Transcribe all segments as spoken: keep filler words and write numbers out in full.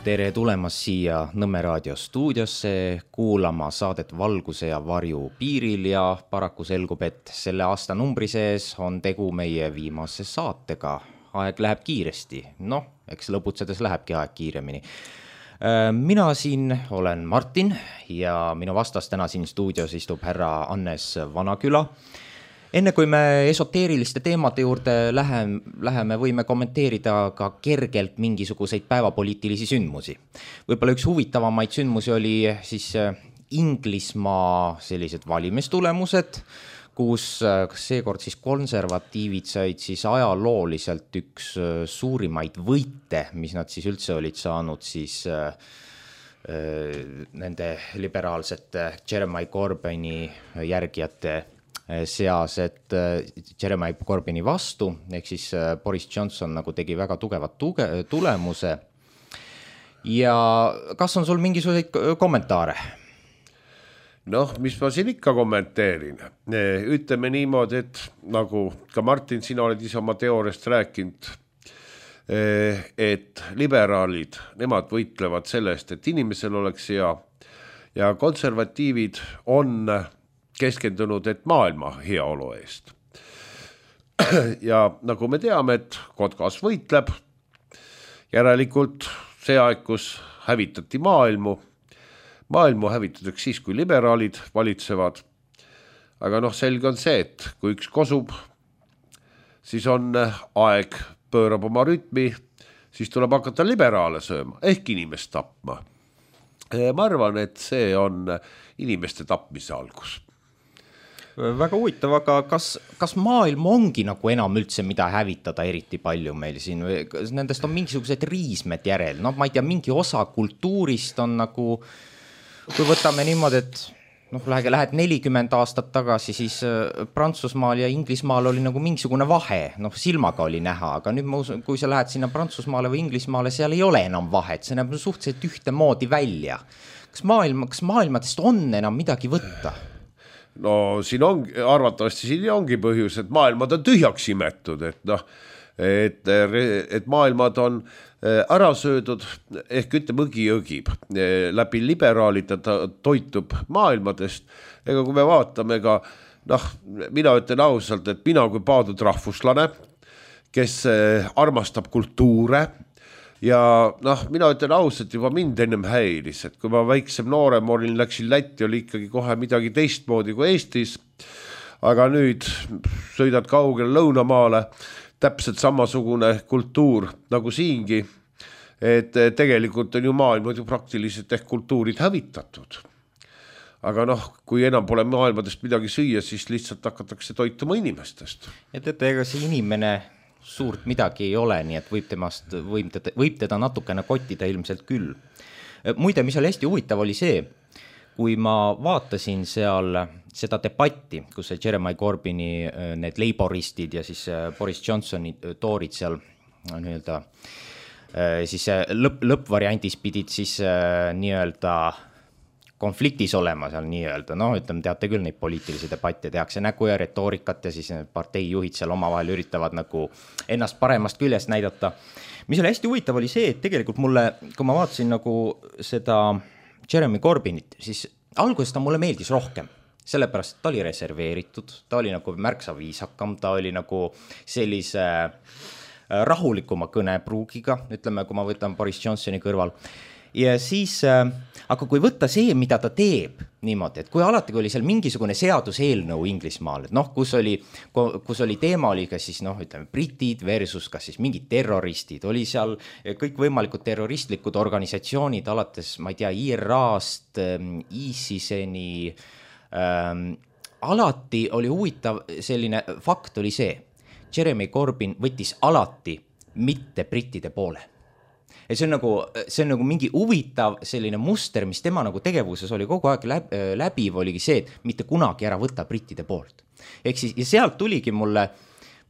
Tere tulemast siia Nõmme raadio stuudiosse kuulama saadet Valguse ja varju piiril ja paraku selgub, et selle aasta numbri sees on tegu meie viimase saatega. Aeg läheb kiiresti, noh, eks lõbutsedes lähebki aeg kiiremini. Mina siin olen Martin ja minu vastas täna siin stuudios istub härra Annes Vanaküla. Enne kui me esoteeriliste teemade juurde läheme, läheme, võime kommenteerida ka kergelt mingisuguseid päevapoliitilisi sündmusi. Võib-olla üks huvitavamaid sündmusi oli siis Inglismaa sellised valimistulemused, kus seekord siis konservatiivid said siis ajalooliselt üks suurimaid võite, mis nad siis üldse olid saanud siis nende liberaalsete Jeremy Corbyni järgijate seas, et Jeremy Corbyni vastu, ehk siis Boris Johnson nagu tegi väga tugevat tuge, tulemuse. Ja kas on sul mingisuguseid kommentaare? Noh, mis ma siin ikka kommenteerin. Ütleme niimoodi, et nagu ka Martin, sina oled ise oma teooriast rääkinud, et liberaalid, nemad võitlevad sellest, et inimesel oleks hea ja konservatiivid on keskendunud, et maailma heaolu eest. Ja nagu me teame, et Kotkas võitleb, järelikult see aeg, kus hävitati maailmu, maailmu hävitatakse siis, kui liberaalid valitsevad. Aga noh, selge on see, et kui üks kosub, siis on aeg pöörab oma rütmi, siis tuleb hakata liberaale sööma, ehk inimest tapma. Ma arvan, et see on inimeste tapmise algus. Väga huvitav, aga kas, kas maailm ongi nagu enam üldse mida hävitada eriti palju meil siin? Nendest on mingisugused riismed järel. No ma ei tea, mingi osa kultuurist on nagu, kui võtame niimoodi, et noh, lähed nelikümmend aastat tagasi, siis Prantsusmaal ja Inglismaal oli nagu mingisugune vahe. Noh, silmaga oli näha, aga nüüd ma usun, kui sa lähed sinna Prantsusmaale või Inglismaale, seal ei ole enam vahet. See näeb suhteliselt ühte moodi välja. Kas, maailma, kas maailmadest on enam midagi võtta? No siin on, arvatavasti siin ongi põhjus, et maailmad on tühjaks imetud, et noh, et, et maailmad on ära söödud, ehk ütleme õgi õgib, läbi liberaalid ta toitub maailmadest, ega kui me vaatame ka, noh, mina ütlen ausalt, et mina kui paadud rahvuslane, kes armastab kultuure, ja noh, mina ütlen ausalt, juba mind ennem häiris, et kui ma väiksem noorem olin, läksin Lätti, oli ikkagi kohe midagi teistmoodi kui Eestis, aga nüüd sõidad kaugele Lõunamaale, täpselt samasugune kultuur nagu siingi, et tegelikult on ju maailmad ju praktiliselt ehk kultuurid hävitatud. Aga noh, kui enam pole maailmadest midagi süüa, siis lihtsalt hakatakse toituma inimestest. Ja teate, ega see inimene suurt midagi ei ole, nii et võib, temast, võib, teda, võib teda natukene kottida ilmselt küll. Muide, mis oli hästi huvitav oli see, kui ma vaatasin seal seda debatti, kus Jeremy Corbyni need leiboristid ja siis Boris Johnsoni toorid seal nii-öelda, siis lõpp, lõppvariandis pidid siis nii-öelda konfliktis olema seal nii-öelda, noh, ütleme, teate küll neid poliitilisi debatte, tehakse nägu ja retoorikat ja siis parteijuhid seal omavahel üritavad nagu ennast paremast küljest näidata. Mis oli hästi huvitav oli see, et tegelikult mulle, kui ma vaatasin nagu seda Jeremy Corbynit, siis alguses ta mulle meeldis rohkem, sellepärast, et ta oli reserveeritud, ta oli nagu märksa viisakam, ta oli nagu sellise rahulikuma kõnepruugiga, ütleme, kui ma võtan Boris Johnsoni kõrval. Ja siis, aga kui võtta see, mida ta teeb niimoodi, et kui alati kui oli seal mingisugune seaduseelnõu Inglismaal, et noh, kus oli, kus oli teema oli ka siis noh, ütleme, britid versus kas siis mingid terroristid, oli seal kõik võimalikud terroristlikud organisatsioonid alates, ma ei tea, I R A-st, ISISeni, ähm, alati oli huvitav selline fakt oli see, Jeremy Corbyn võttis alati mitte brittide poole. Ja see on nagu, see on nagu mingi huvitav selline muster, mis tema nagu tegevuses oli kogu aeg läb, läbiv, oligi see, et mitte kunagi ära võtta brittide poolt. Ehk siis, ja sealt tuligi mulle,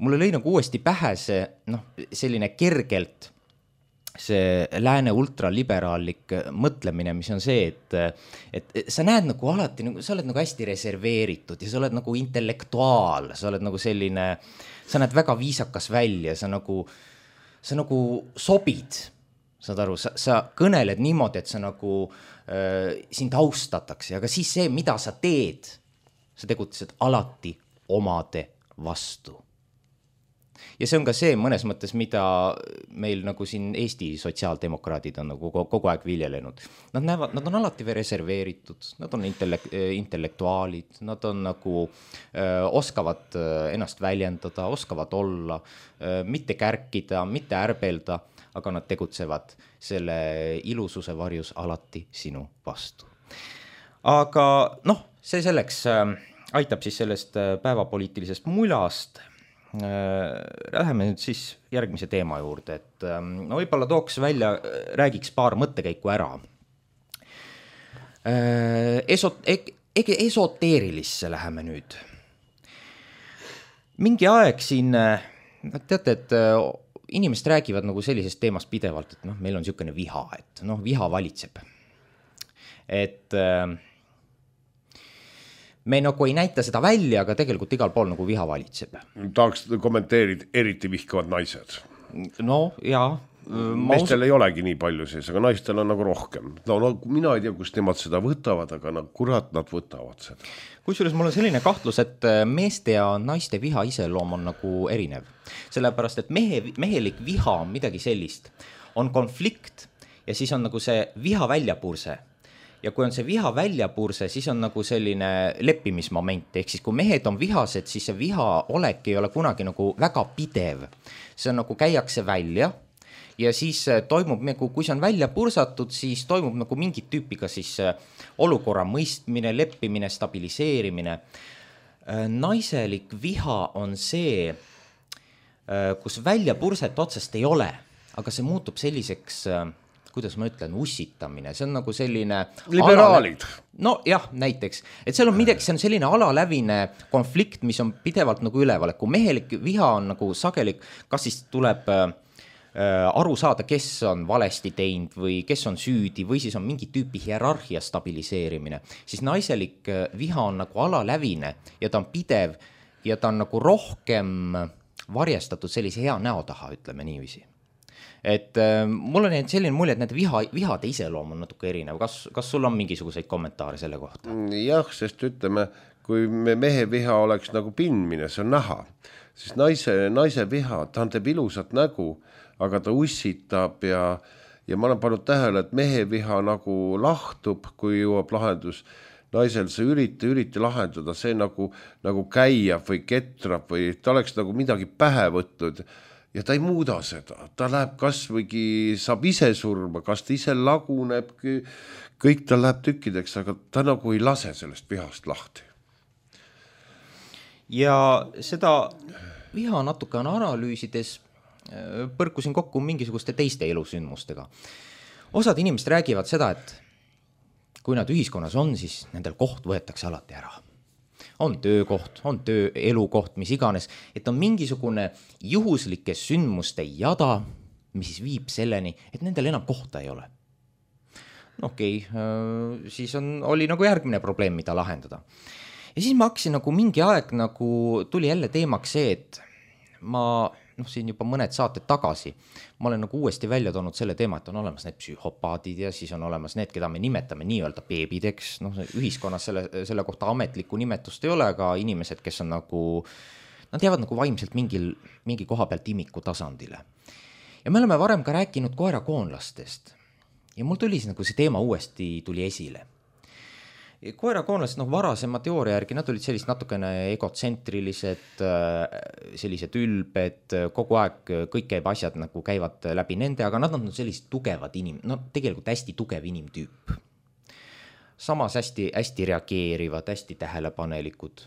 mulle lõi nagu uuesti pähe see, noh, selline kergelt see lääne ultraliberaallik mõtlemine, mis on see, et, et sa näed nagu alati, nagu, sa oled nagu hästi reserveeritud ja sa oled nagu intellektuaal, sa oled nagu selline, sa näed väga viisakas välja, sa nagu, sa nagu sobid saad aru, sa, sa kõneled niimoodi, et sa nagu äh, sind austatakse, aga siis see, mida sa teed, sa tegutsed alati omade vastu. Ja see on ka see mõnes mõttes, mida meil nagu siin Eesti sotsiaaldemokraadid on nagu kogu aeg viljelenud. Nad näevad, nad on alati reserveeritud, nad on intellek- intellektuaalid, nad on nagu öö, oskavad ennast väljendada, oskavad olla, öö, mitte kärkida, mitte ärbelda, aga nad tegutsevad selle ilususe varjus alati sinu vastu. Aga noh, see selleks äh, aitab siis sellest päevapoliitilisest mulast. Läheme nüüd siis järgmise teema juurde, et no võib-olla tooks välja, räägiks paar mõttekäiku ära. Esot, ege esoteerilisse läheme nüüd. Mingi aeg siin, teate, et inimesed räägivad nagu sellisest teemast pidevalt, et noh, meil on niisugune viha, et noh, viha valitseb. Et me nagu ei näita seda välja, aga tegelikult igal pool nagu viha valitseb. Tahaks kommenteerida, eriti vihkavad naised. No jaa. Meestel us... ei olegi nii palju sees, aga naistel on nagu rohkem. No, no mina ei tea, kus nemad seda võtavad, aga no, kurat nad võtavad seda. Kusjuures mul on selline kahtlus, et meeste ja naiste viha iseloom on nagu erinev. Sellepärast, et mehe, mehelik viha on midagi sellist. On konflikt ja siis on nagu see viha väljapurse. Ja kui on see viha väljapurse, siis on nagu selline leppimismoment, ehk siis kui mehed on vihased, siis see viha olek ei ole kunagi nagu väga pidev. See on nagu käiakse välja ja siis toimub, kui see on välja pursatud, siis toimub nagu mingit tüüpiga siis olukorra mõistmine, leppimine, stabiliseerimine. Naiselik viha on see, kus välja purset otsest ei ole, aga see muutub selliseks... kuidas ma ütlen, ussitamine, see on nagu selline... Liberaalid. No jah, näiteks, et seal on midagi, see on selline alalävine konflikt, mis on pidevalt nagu üleval, et kui mehelik viha on nagu sagelik, kas siis tuleb äh, aru saada, kes on valesti teinud või kes on süüdi või siis on mingi tüüpi hierarhia stabiliseerimine, siis naiselik viha on nagu alalävine ja ta on pidev ja ta on nagu rohkem varjestatud sellise hea näo taha, ütleme niiviisi. Et äh, mul on selline mulje, et need viha, vihade iseloom on natuke erinev. Kas, kas sul on mingisuguseid kommentaare selle kohta? Jah, sest ütleme, kui me mehe viha oleks nagu pindmine, see on näha. Siis naise, naise viha, ta teeb ilusat nägu, aga ta ussitab ja, ja ma olen pannud tähele, et mehe viha nagu lahtub, kui jõuab lahendus. Naisel see ürita, ürita lahendada, see nagu, nagu käiab või ketrab või ta oleks nagu midagi pähe võtnud. Ja ta ei muuda seda, ta läheb kas võigi, saab ise surma, kas ta ise laguneb, kõik ta läheb tükkideks, aga ta nagu ei lase sellest vihast lahti. Ja seda viha natuke on analüüsides, põrkusin kokku mingisuguste teiste elusündmustega. Osad inimesed räägivad seda, et kui nad ühiskonnas on, siis nendel koht võetakse alati ära. On töökoht, on töö, elukoht, mis iganes, et on mingisugune juhuslike sündmuste jada, mis siis viib selleni, et nendel enam kohta ei ole. No okei, okay, siis on, oli nagu järgmine probleem, mida lahendada. Ja siis ma hakkasin nagu mingi aeg nagu tuli jälle teemaks see, et ma noh, siin juba mõned saated tagasi, ma olen nagu uuesti välja toonud selle teema, et on olemas need psühhopaadid ja siis on olemas need, keda me nimetame nii-öelda beebideks, noh, ühiskonnas selle, selle kohta ametlikku nimetust ei ole, aga inimesed, kes on nagu, nad jäävad nagu vaimselt mingil, mingi koha pealt imiku tasandile. Ja me oleme varem ka rääkinud koerakoonlastest ja mul tuli nagu see teema uuesti tuli esile. Koerakoonlased, noh, varasema teooria järgi, nad olid sellist natukene egotsentrilised, sellised ülbed, kogu aeg kõik käib asjad nagu käivad läbi nende, aga nad on sellised tugevad inim, no tegelikult hästi tugev inimtüüp. Samas hästi, hästi reageerivad, hästi tähelepanelikud.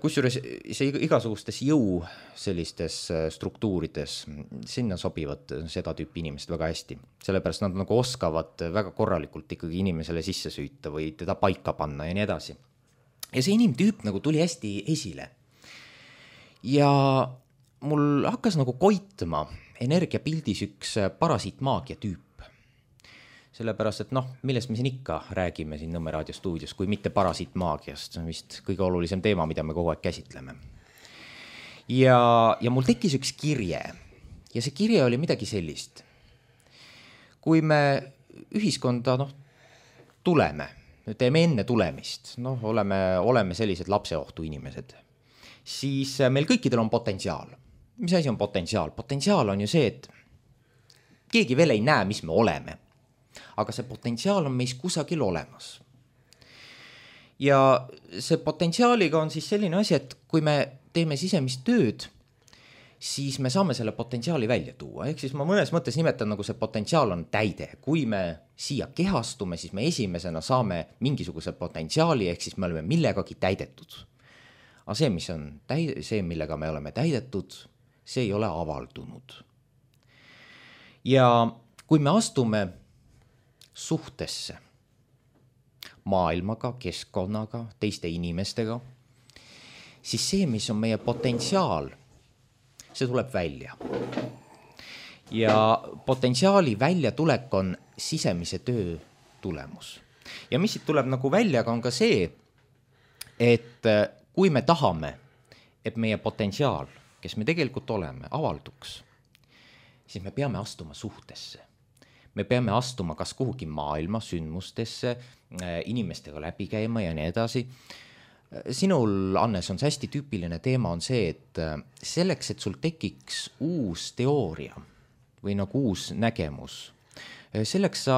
Kusjuures see igasugustes jõu sellistes struktuurides, sinna sobivad seda tüüpi inimesed väga hästi. Sellepärast nad nagu oskavad väga korralikult ikkagi inimesele sisse süüta või teda paika panna ja nii edasi. Ja see inimtüüp nagu tuli hästi esile. Ja mul hakkas nagu koitma energiapildis üks parasiitmaagia tüüp. Sellepärast, et noh, millest me siin ikka räägime siin Nõmme Raadio stuudios, kui mitte parasiitmaagiast, see on vist kõige olulisem teema, mida me kogu aeg käsitleme. Ja, ja mul tekkis üks kirje ja see kirje oli midagi sellist. kui me ühiskonda noh, tuleme, teeme enne tulemist, noh, oleme, oleme sellised lapseohtu inimesed, siis meil kõikidel on potentsiaal. Mis asi on potentsiaal? Potentsiaal on ju see, et keegi veel ei näe, mis me oleme, aga see potentsiaal on meis kusagil olemas. Ja see potentsiaaliga on siis selline asi, et kui me teeme sisemist tööd, siis me saame selle potentsiaali välja tuua. Ehk siis ma mõnes mõttes nimetan, nagu see potentsiaal on täide. Kui me siia kehastume, siis me esimesena saame mingisuguse potentsiaali, ehk siis me oleme millegagi täidetud. Aga see, mis on täide, see, millega me oleme täidetud, see ei ole avaldunud. Ja kui me astume suhtesse maailmaga, keskkonnaga, teiste inimestega, siis see, mis on meie potentsiaal, see tuleb välja. Ja potentsiaali väljatulek on sisemise töö tulemus. Ja mis siit tuleb nagu välja, on ka see, et kui me tahame, et meie potentsiaal, kes me tegelikult oleme, avalduks, siis me peame astuma suhtesse. Me peame astuma kas kuhugi maailma sündmustesse, inimestega läbi käima ja nii edasi. Sinul, Annes, on see hästi tüüpiline teema on see, et selleks, et sul tekiks uus teooria või nagu uus nägemus, selleks sa,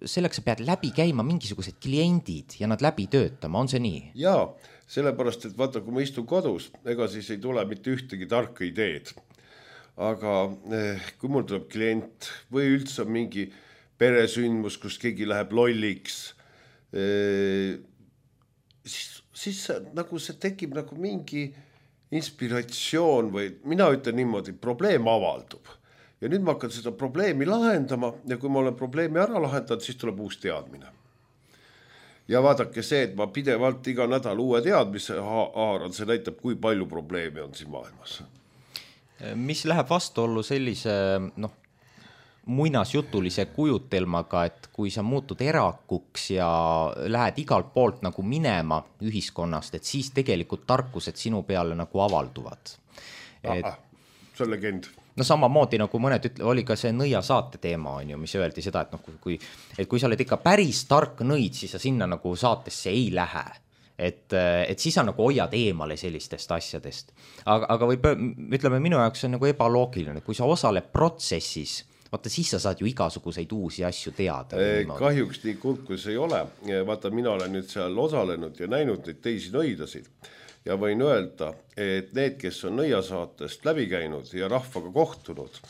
selleks sa pead läbi käima mingisugused kliendid ja nad läbi töötama, on see nii? Jaa, sellepärast, et vaata, kui ma istun kodus, ega siis ei tule mitte ühtegi tarka ideed. Aga kui mul tuleb klient või üldse mingi peresündmus, kus keegi läheb lolliks, siis siis nagu see tekib nagu mingi inspiratsioon või mina ütlen niimoodi, probleem avaldub. Ja nüüd ma hakkan seda probleemi lahendama ja kui ma olen probleemi ära lahendanud, siis tuleb uus teadmine. Ja vaadake see, et ma pidevalt iga nädal uue teadmise haaran, see näitab, kui palju probleemi on siin maailmas. Mis läheb vastuollu sellise noh, muinasjutulise kujutelmaga, et kui sa muutud erakuks ja lähed igalt poolt nagu minema ühiskonnast, et siis tegelikult tarkused sinu peale nagu avalduvad. Et, ah, see on legend. No samamoodi nagu mõned ütle, oli ka see nõia saate teema, on ju, mis öeldi seda, et, noh, kui, et kui sa oled ikka päris tark nõid, siis sa sinna nagu saatesse ei lähe. Et, et siis sa nagu hoiad eemale sellistest asjadest. Aga, aga võib, ütleme, minu jaoks on nagu ebaloogiline, kui sa osaled protsessis, vaata, siis sa saad ju igasuguseid uusi asju teada. Kahjuks nii kurb, kui see ei ole. Vaata, mina olen nüüd seal osalenud ja näinud neid teisi nõidasid. Ja võin öelda, et need, kes on nõiasaatest läbi käinud ja rahvaga kohtunud,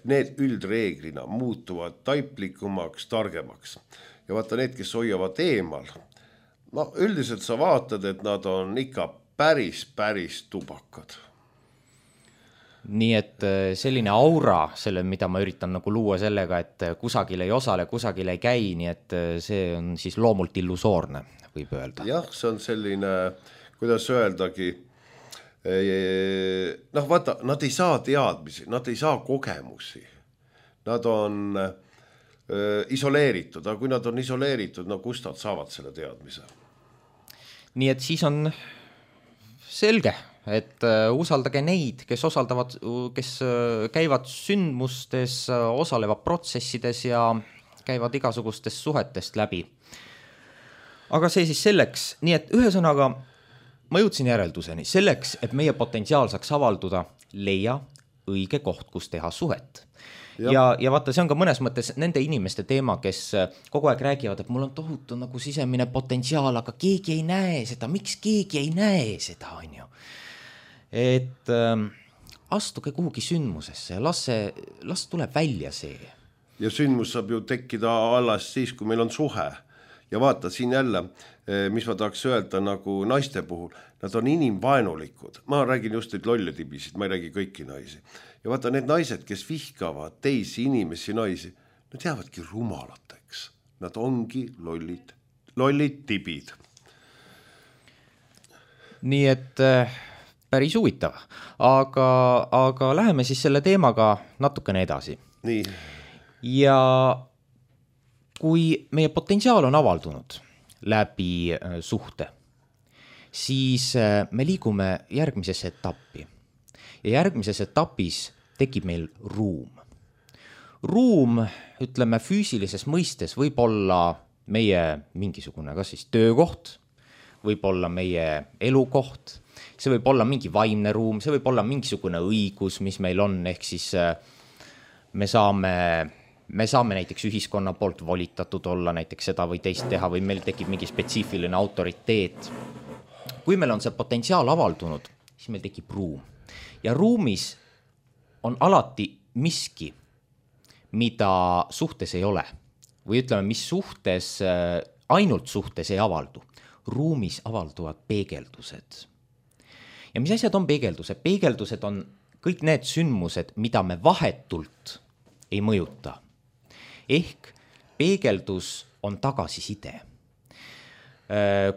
need üldreeglina muutuvad taiplikumaks, targemaks. Ja vaata, need, kes hoiavad eemal, no üldiselt sa vaatad, et nad on ikka päris, päris tubakad. Nii et selline aura, selle, mida ma üritan nagu luua sellega, et kusagil ei osale, kusagil ei käi, nii et see on siis loomult illusoorne, võib öelda. Jah, see on selline, kuidas öeldagi, noh vaata, nad ei saa teadmisi, nad ei saa kogemusi, nad on äh, isoleeritud, aga kui nad on isoleeritud, no kust nad saavad selle teadmise? Nii et siis on selge, et usaldage neid, kes osaldavad, kes käivad sündmustes, osalevad protsessides ja käivad igasugustest suhetest läbi. Aga see siis selleks, nii et ühesõnaga ma jõudsin järelduseni, selleks, et meie potentsiaal saaks avalduda, leia õige koht, kus teha suhet. Ja, ja, ja vaata, see on ka mõnes mõttes nende inimeste teema, kes kogu aeg räägivad, et mul on tohutu nagu sisemine potentsiaal, aga keegi ei näe seda, miks keegi ei näe seda, on ju. Et äh, astuge kuhugi sündmusesse ja las, see, las tuleb välja see. Ja sündmus saab ju tekkida alles siis, kui meil on suhe. Ja vaata siin jälle, mis ma tahaks öelda nagu naiste puhul, nad on inimvaenulikud. Ma räägin just neid lolletibisid, ma ei räägi kõiki naisi. Ja vaata need naised, kes vihkavad teisi inimesi naisi, nad jäävadki rumalateks. Nad ongi lollid, lollid tibid. Nii et äh, päris huvitav, aga, aga läheme siis selle teemaga natukene edasi. Nii. Ja kui meie potentsiaal on avaldunud läbi äh, suhte, siis äh, me liigume järgmisesse etappi. Ja järgmises etapis tekib meil ruum. ruum, ütleme füüsilises mõistes võib olla meie mingisugune kas siis töökoht, võib olla meie elukoht, see võib olla mingi vaimne ruum, see võib olla mingisugune õigus, mis meil on, ehk siis me saame, me saame näiteks ühiskonna poolt volitatud olla näiteks seda või teist teha või meil tekib mingi spetsiifiline autoriteet. Kui meil on see potentsiaal avaldunud, siis meil tekib ruum. Ja ruumis on alati miski, mida suhtes ei ole. Või ütleme, mis suhtes, ainult suhtes ei avaldu. Ruumis avalduvad peegeldused. Ja mis asjad on peegeldused? Peegeldused on kõik need sündmused, mida me vahetult ei mõjuta. Ehk peegeldus on tagasiside.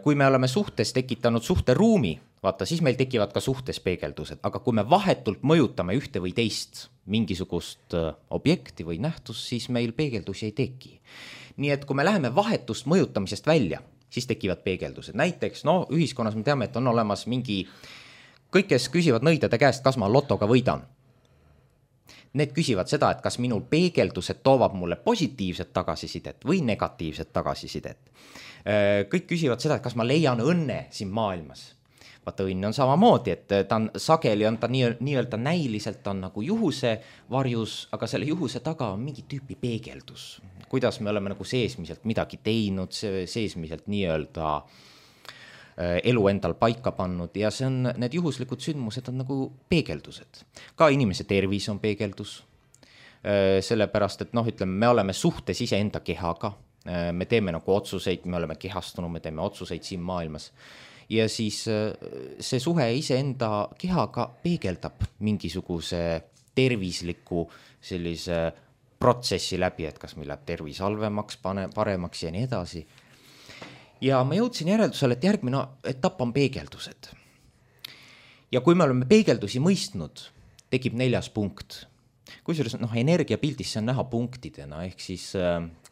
Kui me oleme suhtes tekitanud suhteruumi, vaata, siis meil tekivad ka suhtes peegeldused, aga kui me vahetult mõjutame ühte või teist mingisugust objekti või nähtust, siis meil peegeldusi ei teki. Nii et kui me läheme vahetust mõjutamisest välja, siis tekivad peegeldused. Näiteks, no ühiskonnas me teame, et on olemas mingi, kõik, kes küsivad nõidade käest, kas ma lotoga võidan. Need küsivad seda, et kas minul peegeldused toovad mulle positiivset tagasisidet või negatiivset tagasisidet. Kõik küsivad seda, et kas ma leian õnne siin maailmas. Vaata, õnn on samamoodi, et ta on sageli, on ta nii, nii-öelda näiliselt on nagu juhuse varjus, aga selle juhuse taga on mingi tüüpi peegeldus. Kuidas me oleme nagu seesmiselt midagi teinud, seesmiselt nii-öelda elu endal paika pannud ja see on, need juhuslikud sündmused on nagu peegeldused. Ka inimese tervis on peegeldus, sellepärast, et noh, ütleme, me oleme suhtes ise enda kehaga, me teeme nagu otsuseid, me oleme kehastunud, me teeme otsuseid siin maailmas ja siis see suhe ise enda kehaga peegeldab mingisuguse tervisliku sellise protsessi läbi, et kas meil läheb tervis halvemaks, pane, paremaks ja nii edasi. Ja ma jõudsin järeldusele, et järgmine etapp on peegeldused. Ja kui me oleme peegeldusi mõistnud, tekib neljas punkt. Kusjuures noh, energiapildis see on näha punktidena, ehk siis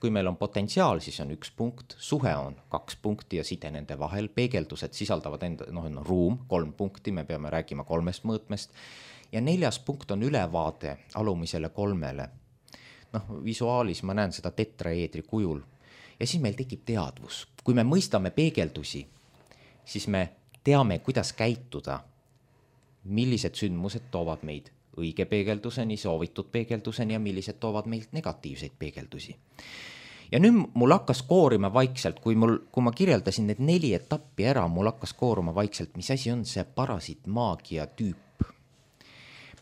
kui meil on potentsiaal, siis on üks punkt, suhe on kaks punkti ja side nende vahel, peegeldused sisaldavad enda, noh, no, ruum, kolm punkti, me peame rääkima kolmest mõõtmest ja neljas punkt on ülevaade alumisele kolmele. Noh, visuaalis ma näen seda tetraeedri kujul ja siis meil tekib teadvus. Kui me mõistame peegeldusi, siis me teame, kuidas käituda, millised sündmused toovad meid õige peegelduseni, soovitud peegelduseni ja millised toovad meilt negatiivseid peegeldusi. Ja nüüd mul hakkas koorima vaikselt, kui, mul, kui ma kirjeldasin need neli etappi ära, mul hakkas koorima vaikselt, mis asi on see parasiitmaagia tüüp,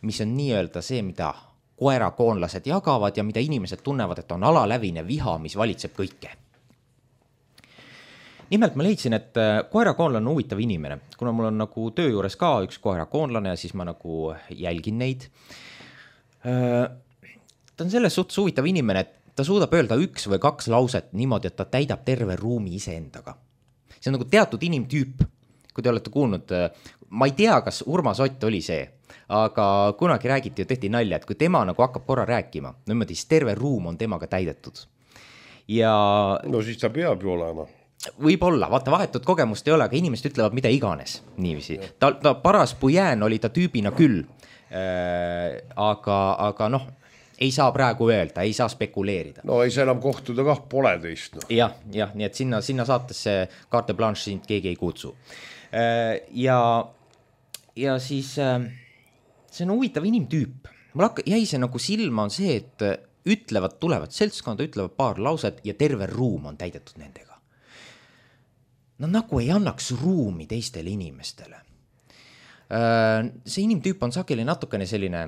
mis on nii-öelda see, mida koerakoonlased jagavad ja mida inimesed tunnevad, et on alalävine viha, mis valitseb kõike. Nimelt ma leidsin, et koerakoonlane on huvitav inimene, kuna mul on nagu töö juures ka üks koerakoonlane ja siis ma nagu jälgin neid. Ta on selles suhtes huvitav inimene, et ta suudab öelda üks või kaks lauset niimoodi, et ta täidab terve ruumi iseendaga. See on nagu teatud inimtüüp, kui te olete kuulnud, ma ei tea, kas Urmas Ott oli see, aga kunagi räägiti ja tehti nalja, et kui tema nagu hakkab korra rääkima, niimoodi, siis terve ruum on temaga täidetud. Ja no siis ta peab ju olema. Võib-olla, vaata vahetut kogemust ei ole, aga inimesed ütlevad mida iganes niiviisi. Ta, ta paras pujään oli ta tüübina küll, äh, aga, aga noh, ei saa praegu öelda, ei saa spekuleerida. No ei saa enam kohtuda kah, pole teist. No. Jah, jah, nii et sinna, sinna saatesse carte blanche sind keegi ei kutsu. Äh, ja, ja siis äh, see on huvitav inimtüüp. Mul hakka, jäi see nagu silma on see, et ütlevad, tulevad seltskonda, ütlevad paar lauset ja terve ruum on täidetud nendega. No nagu ei annaks ruumi teistele inimestele. See inimtüüp on sageli natukene selline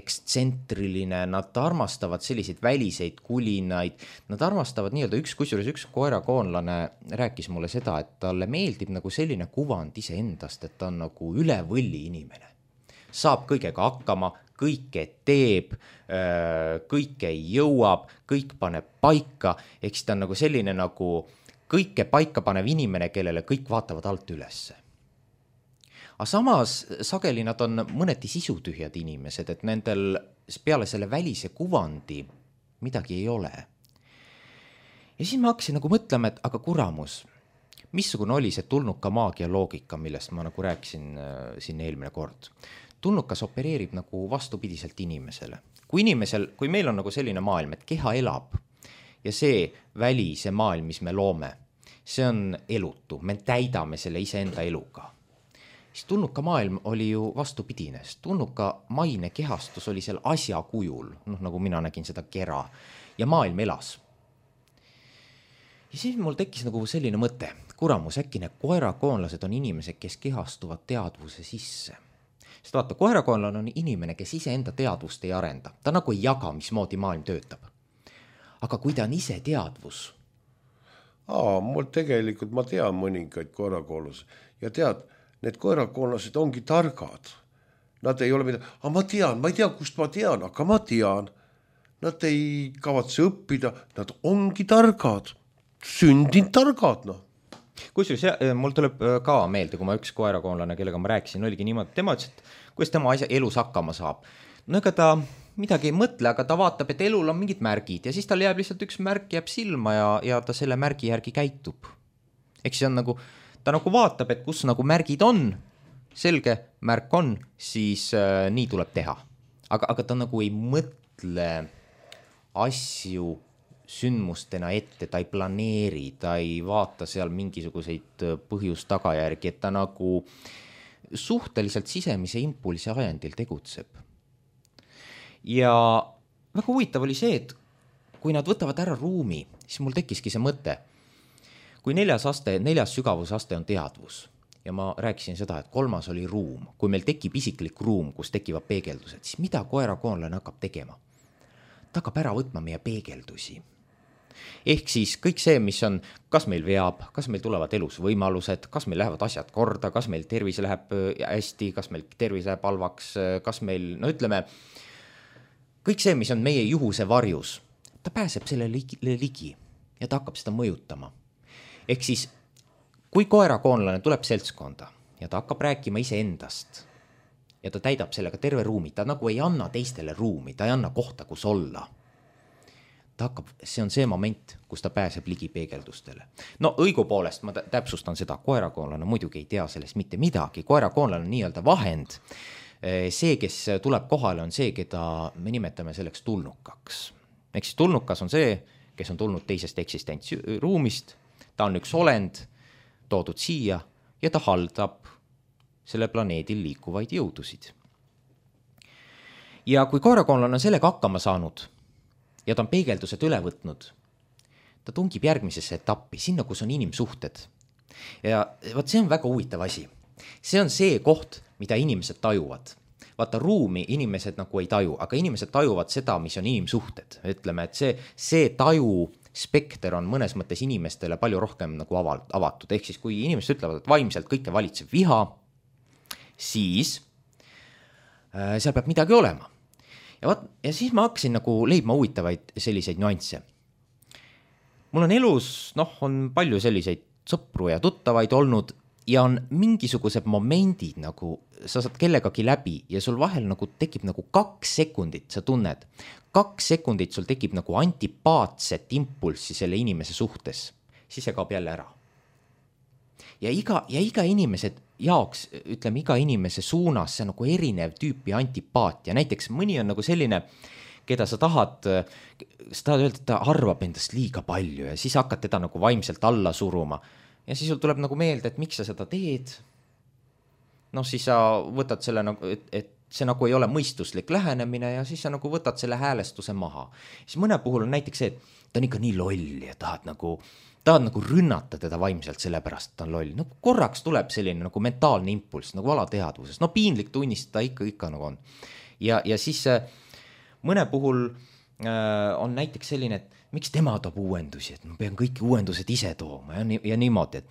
ekstsentriline, nad armastavad selliseid väliseid kulinaid, nad armastavad nii-öelda üks, kusjuures üks koerakoonlane rääkis mulle seda, et talle meeldib nagu selline kuvand ise endast, et ta on nagu üle võlli inimene. Saab kõigega hakkama, kõike teeb, kõike jõuab, kõik paneb paika, eks ta on nagu selline nagu kõike paika panev inimene, kellele kõik vaatavad alt ülesse. Aga samas sageli nad on mõneti sisutühjad inimesed, et nendel peale selle välise kuvandi midagi ei ole. Ja siis ma hakkasin nagu mõtlema, et aga kuramus, missugune oli see tulnuka maagia loogika, millest ma nagu rääkisin äh, siin eelmine kord. Tulnukas opereerib nagu vastupidiselt inimesele. kui inimesel, kui meil on nagu selline maailm, et keha elab ja see väli, see maailm, mis me loome, see on elutu, me täidame selle iseenda eluga. Siis tulnuka maailm oli ju vastupidine, sest tulnuka maine kehastus oli seal asja kujul, noh nagu mina nägin seda kera ja maailm elas. Ja siis mul tekkis nagu selline mõte, kuramus, äkki need koerakoonlased on inimesed, kes kehastuvad teadvuse sisse. Sest vaata, koerakoonlane on inimene, kes ise enda teadvust ei arenda. Ta nagu ei jaga, mismoodi maailm töötab. Aga kui ta on ise teadvus? Aa, mul tegelikult, ma tean mõningaid koerakoonlasi ja tead, need koerakoonlased ongi targad. Nad ei ole mida, aga ma tean, ma ei tea, kust ma tean, aga ma tean. Nad ei kavatse õppida, nad ongi targad. Sündinud targad, noh. Kusjuures mul tuleb ka meelde, kui ma üks koerakoonlane, kellega ma rääkisin, oligi niimoodi, tema ütles, et kuidas tema asja elus hakkama saab. No ega ta midagi ei mõtle, aga ta vaatab, et elul on mingid märgid ja siis tal jääb lihtsalt üks märk jääb silma ja, ja ta selle märgi järgi käitub. Eks see on nagu, ta nagu vaatab, et kus nagu märgid on, selge märk on, siis äh, nii tuleb teha. Aga, aga ta nagu ei mõtle asju sündmustena ette, ta ei planeeri, ta ei vaata seal mingisuguseid põhjus-tagajärgi, et ta nagu suhteliselt sisemise impulsi ajendil tegutseb. Ja väga huvitav oli see, et kui nad võtavad ära ruumi, siis mul tekkiski see mõte. Kui neljas aste, neljas sügavusaste on teadvus ja ma rääkisin seda, et kolmas oli ruum, kui meil tekib isiklik ruum, kus tekivad peegeldused, siis mida koerakoonlane hakkab tegema? Ta hakkab ära võtma meie peegeldusi. Ehk siis kõik see, mis on, kas meil veab, kas meil tulevad elus võimalused, kas meil lähevad asjad korda, kas meil tervis läheb hästi, kas meil tervis läheb halvaks, kas meil, no ütleme, kõik see, mis on meie juhuse varjus, ta pääseb selle ligi ja ta hakkab seda mõjutama. Ehk siis, kui koerakoonlane tuleb seltskonda ja ta hakkab rääkima ise endast ja ta täidab sellega terve ruumi, ta nagu ei anna teistele ruumi, ta ei anna kohta, kus olla. Ta hakkab, see on see moment, kus ta pääseb ligi peegeldustele. No õigupoolest ma täpsustan seda, koerakoonlane muidugi ei tea sellest mitte midagi. Koerakoonlane on nii-öelda vahend. See, kes tuleb kohale, on see, keda me nimetame selleks tulnukaks. Ehk siis tulnukas on see, kes on tulnud teisest eksistentsruumist, ta on üks olend, toodud siia ja ta haldab selle planeedil liikuvaid jõudusid. Ja kui koerakoonlane on sellega hakkama saanud, ja ta on peegeldused üle võtnud, ta tungib järgmisesse etappi, sinna, kus on inimsuhted. Ja vaat see on väga huvitav asi. See on see koht, mida inimesed tajuvad. Vaata, ruumi inimesed nagu ei taju, aga inimesed tajuvad seda, mis on inimsuhted. Ütleme, et see, see taju spekter on mõnes mõttes inimestele palju rohkem nagu avatud. Ehk siis, kui inimesed ütlevad, et vaimselt kõike valitseb viha, siis äh, seal peab midagi olema. Ja, vaat, ja siis ma hakkasin nagu leidma huvitavaid selliseid nüansse. Mul on elus, noh, on palju selliseid sõpru ja tuttavaid olnud ja on mingisugused momendid nagu, sa saad kellegagi läbi ja sul vahel nagu tekib nagu kaks sekundit, sa tunned, kaks sekundit sul tekib nagu antipaatset impulssi selle inimese suhtes, siis see kaob jälle ära. Ja iga, ja iga inimesed jaoks, ütleme, iga inimese suunas see on nagu erinev tüüpi antipaatia. Näiteks mõni on nagu selline, keda sa tahad, sa tahad öelda, et ta arvab endast liiga palju ja siis hakkad teda nagu vaimselt alla suruma. Ja siis sul tuleb nagu meelde, et miks sa seda teed. No siis sa võtad selle, et, et see nagu ei ole mõistuslik lähenemine ja siis sa nagu võtad selle häälestuse maha. Siis mõne puhul on näiteks see, et ta on ikka nii loll ja tahad nagu... tahad nagu rünnata teda vaimselt sellepärast, et ta on loll. No korraks tuleb selline nagu mentaalne impulss, nagu alateadvuses. No piinlik tunnistada ikka, ikka nagu on. Ja, ja siis mõne puhul äh, on näiteks selline, et miks tema toob uuendusi, et ma pean kõik uuendused ise tooma ja, ja niimoodi.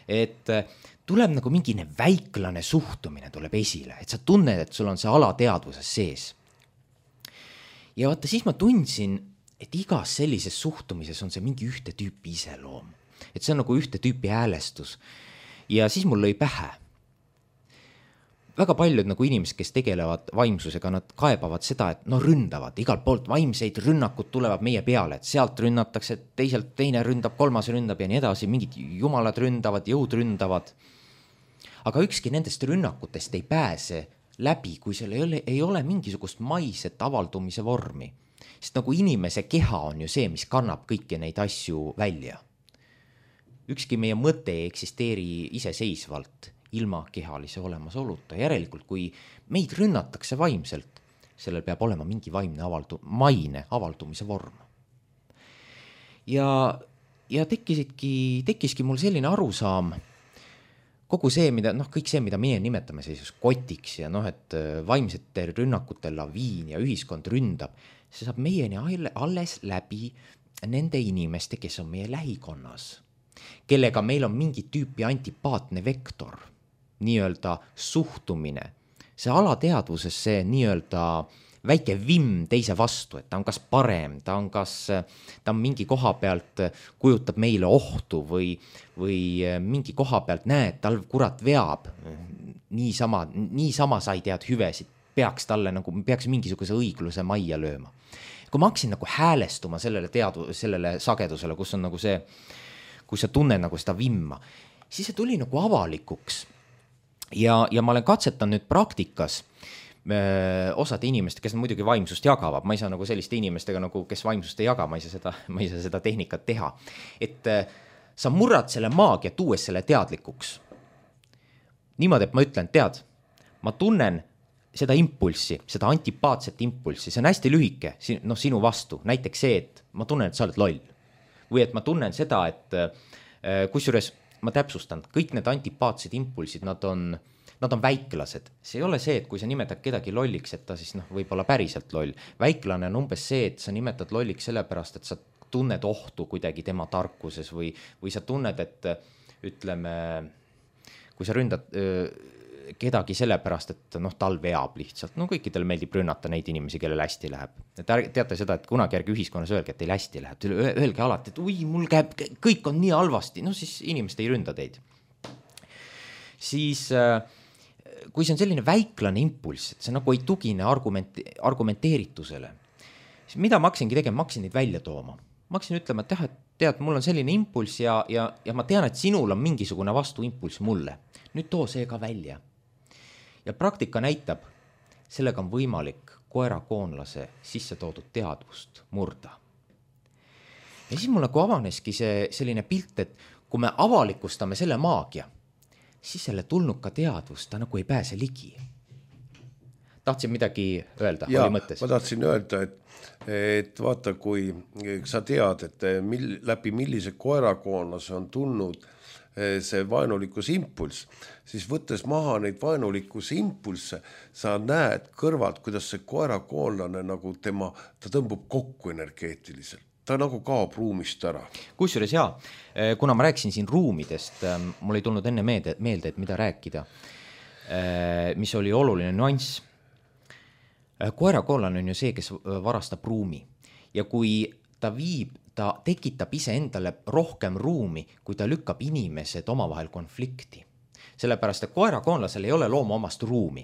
Et, et tuleb nagu mingine väiklane suhtumine tuleb esile, et sa tunned, et sul on see alateadvuses sees. Ja vaata, siis ma tundsin, et igas sellises suhtumises on see mingi ühte tüüpi iseloom. Et see on nagu ühte tüüpi häälestus. Ja siis mul lõi pähe. Väga paljud nagu inimesed, kes tegelevad vaimsusega, nad kaebavad seda, et no ründavad. Igalt poolt vaimseid rünnakud tulevad meie peale, et sealt rünnatakse, teiselt teine ründab, kolmas ründab ja nii edasi. Mingid jumalad ründavad, jõud ründavad. Aga ükski nendest rünnakutest ei pääse läbi, kui seal ei ole, ei ole mingisugust maiset avaldumise vormi. Sest nagu inimese keha on ju see, mis kannab kõiki neid asju välja. Ükski meie mõte ei eksisteeri iseseisvalt ilma kehalise olemasoluta. Järelikult, kui meid rünnatakse vaimselt, sellel peab olema mingi vaimne avaldu, maine avaldumise vorm. Ja, ja tekkisidki, tekkiski mul selline arusaam, kogu see, mida, noh, kõik see, mida meie nimetame sellises kotiks ja noh, et vaimsete rünnakute laviin ja ühiskond ründab, see saab meieni alles läbi nende inimeste, kes on meie lähikonnas, kellega meil on mingi tüüpi antipaatne vektor, nii-öelda suhtumine, see alateadvuses see nii-öelda väike vimm teise vastu, et ta on kas parem, ta on kas, ta on mingi koha pealt kujutab meile ohtu või, või mingi koha pealt näed, tal kurat veab, niisama, niisama sa ei tead hüvesid, peaks talle nagu, peaks mingisuguse õigluse majja lööma. Kui ma hakkasin nagu häälestuma sellele teadu, sellele sagedusele, kus on nagu see, kus sa tunned nagu seda vimma, siis see tuli nagu avalikuks. Ja, ja ma olen katsetan nüüd praktikas öö, osade inimeste, kes muidugi vaimsust jagavad. Ma ei saa nagu selliste inimestega, nagu, kes vaimsust ei jaga, ma ei saa seda, ma ei saa seda tehnikat teha. Et öö, sa murrad selle maagia, tuues selle teadlikuks. Niimoodi, et ma ütlen, tead, ma tunnen seda impulssi, seda antipaatset impulssi, see on hästi lühike, noh, sinu vastu. Näiteks see, et ma tunnen, et sa oled loll. Või et ma tunnen seda, et öö, kusjuures ma täpsustan, kõik need antipaatsed impulsid, nad on, nad on väiklased. See ei ole see, et kui sa nimetad kedagi lolliks, et ta siis noh, võib olla päriselt loll. Väiklane on umbes see, et sa nimetad lolliks sellepärast, et sa tunned ohtu kuidagi tema tarkuses või, või sa tunned, et ütleme, kui sa ründad öö, kedagi sellepärast, et noh, tal veab lihtsalt. No kõikidel meeldib rünnata neid inimesi, kellel hästi läheb. Et teate seda, et kunagi järgi ühiskonnas öelge, et teil hästi läheb. Öelge alati, et ui, mul käib, kõik on nii halvasti. No siis inimesed ei ründa teid. Siis, kui see on selline väiklane impulss, et see nagu ei tugine argument, argumenteeritusele, siis mida ma hakkasingi tegema? Ma hakkasin neid välja tooma. Ma hakkasin ütlema, et jah, et tead, mul on selline impulss ja, ja, ja ma tean, et sinul on mingisugune vastuimpulss mulle. Nüüd too see ka välja. Ja praktika näitab, sellega on võimalik koerakoonlase sisse toodud teadvust murda. Ja siis mul nagu avaneski see selline pilt, et kui me avalikustame selle maagia, siis selle tulnuka teadvust ta nagu ei pääse ligi. Tahtsin midagi öelda, ja, oli mõttes? Ma tahtsin öelda, et, et vaata, kui sa tead, et mil, läbi millise koerakoonlase on tulnud see vaenulikkus impulss, siis võttes maha neid vaenulikkus impulsse, sa näed kõrvalt, kuidas see koerakoonlane nagu tema, ta tõmbub kokku energeetiliselt. Ta nagu kaob ruumist ära. Kusjuures jaa, kuna ma rääkisin siin ruumidest, mul ei tulnud enne meelde, meelde, et mida rääkida, mis oli oluline nüanss. Koerakoonlane on ju see, kes varastab ruumi ja kui ta viib, ta tekitab ise endale rohkem ruumi, kui ta lükkab inimesed omavahel konflikti. Sellepärast, et koerakoonlasel ei ole looma omast ruumi.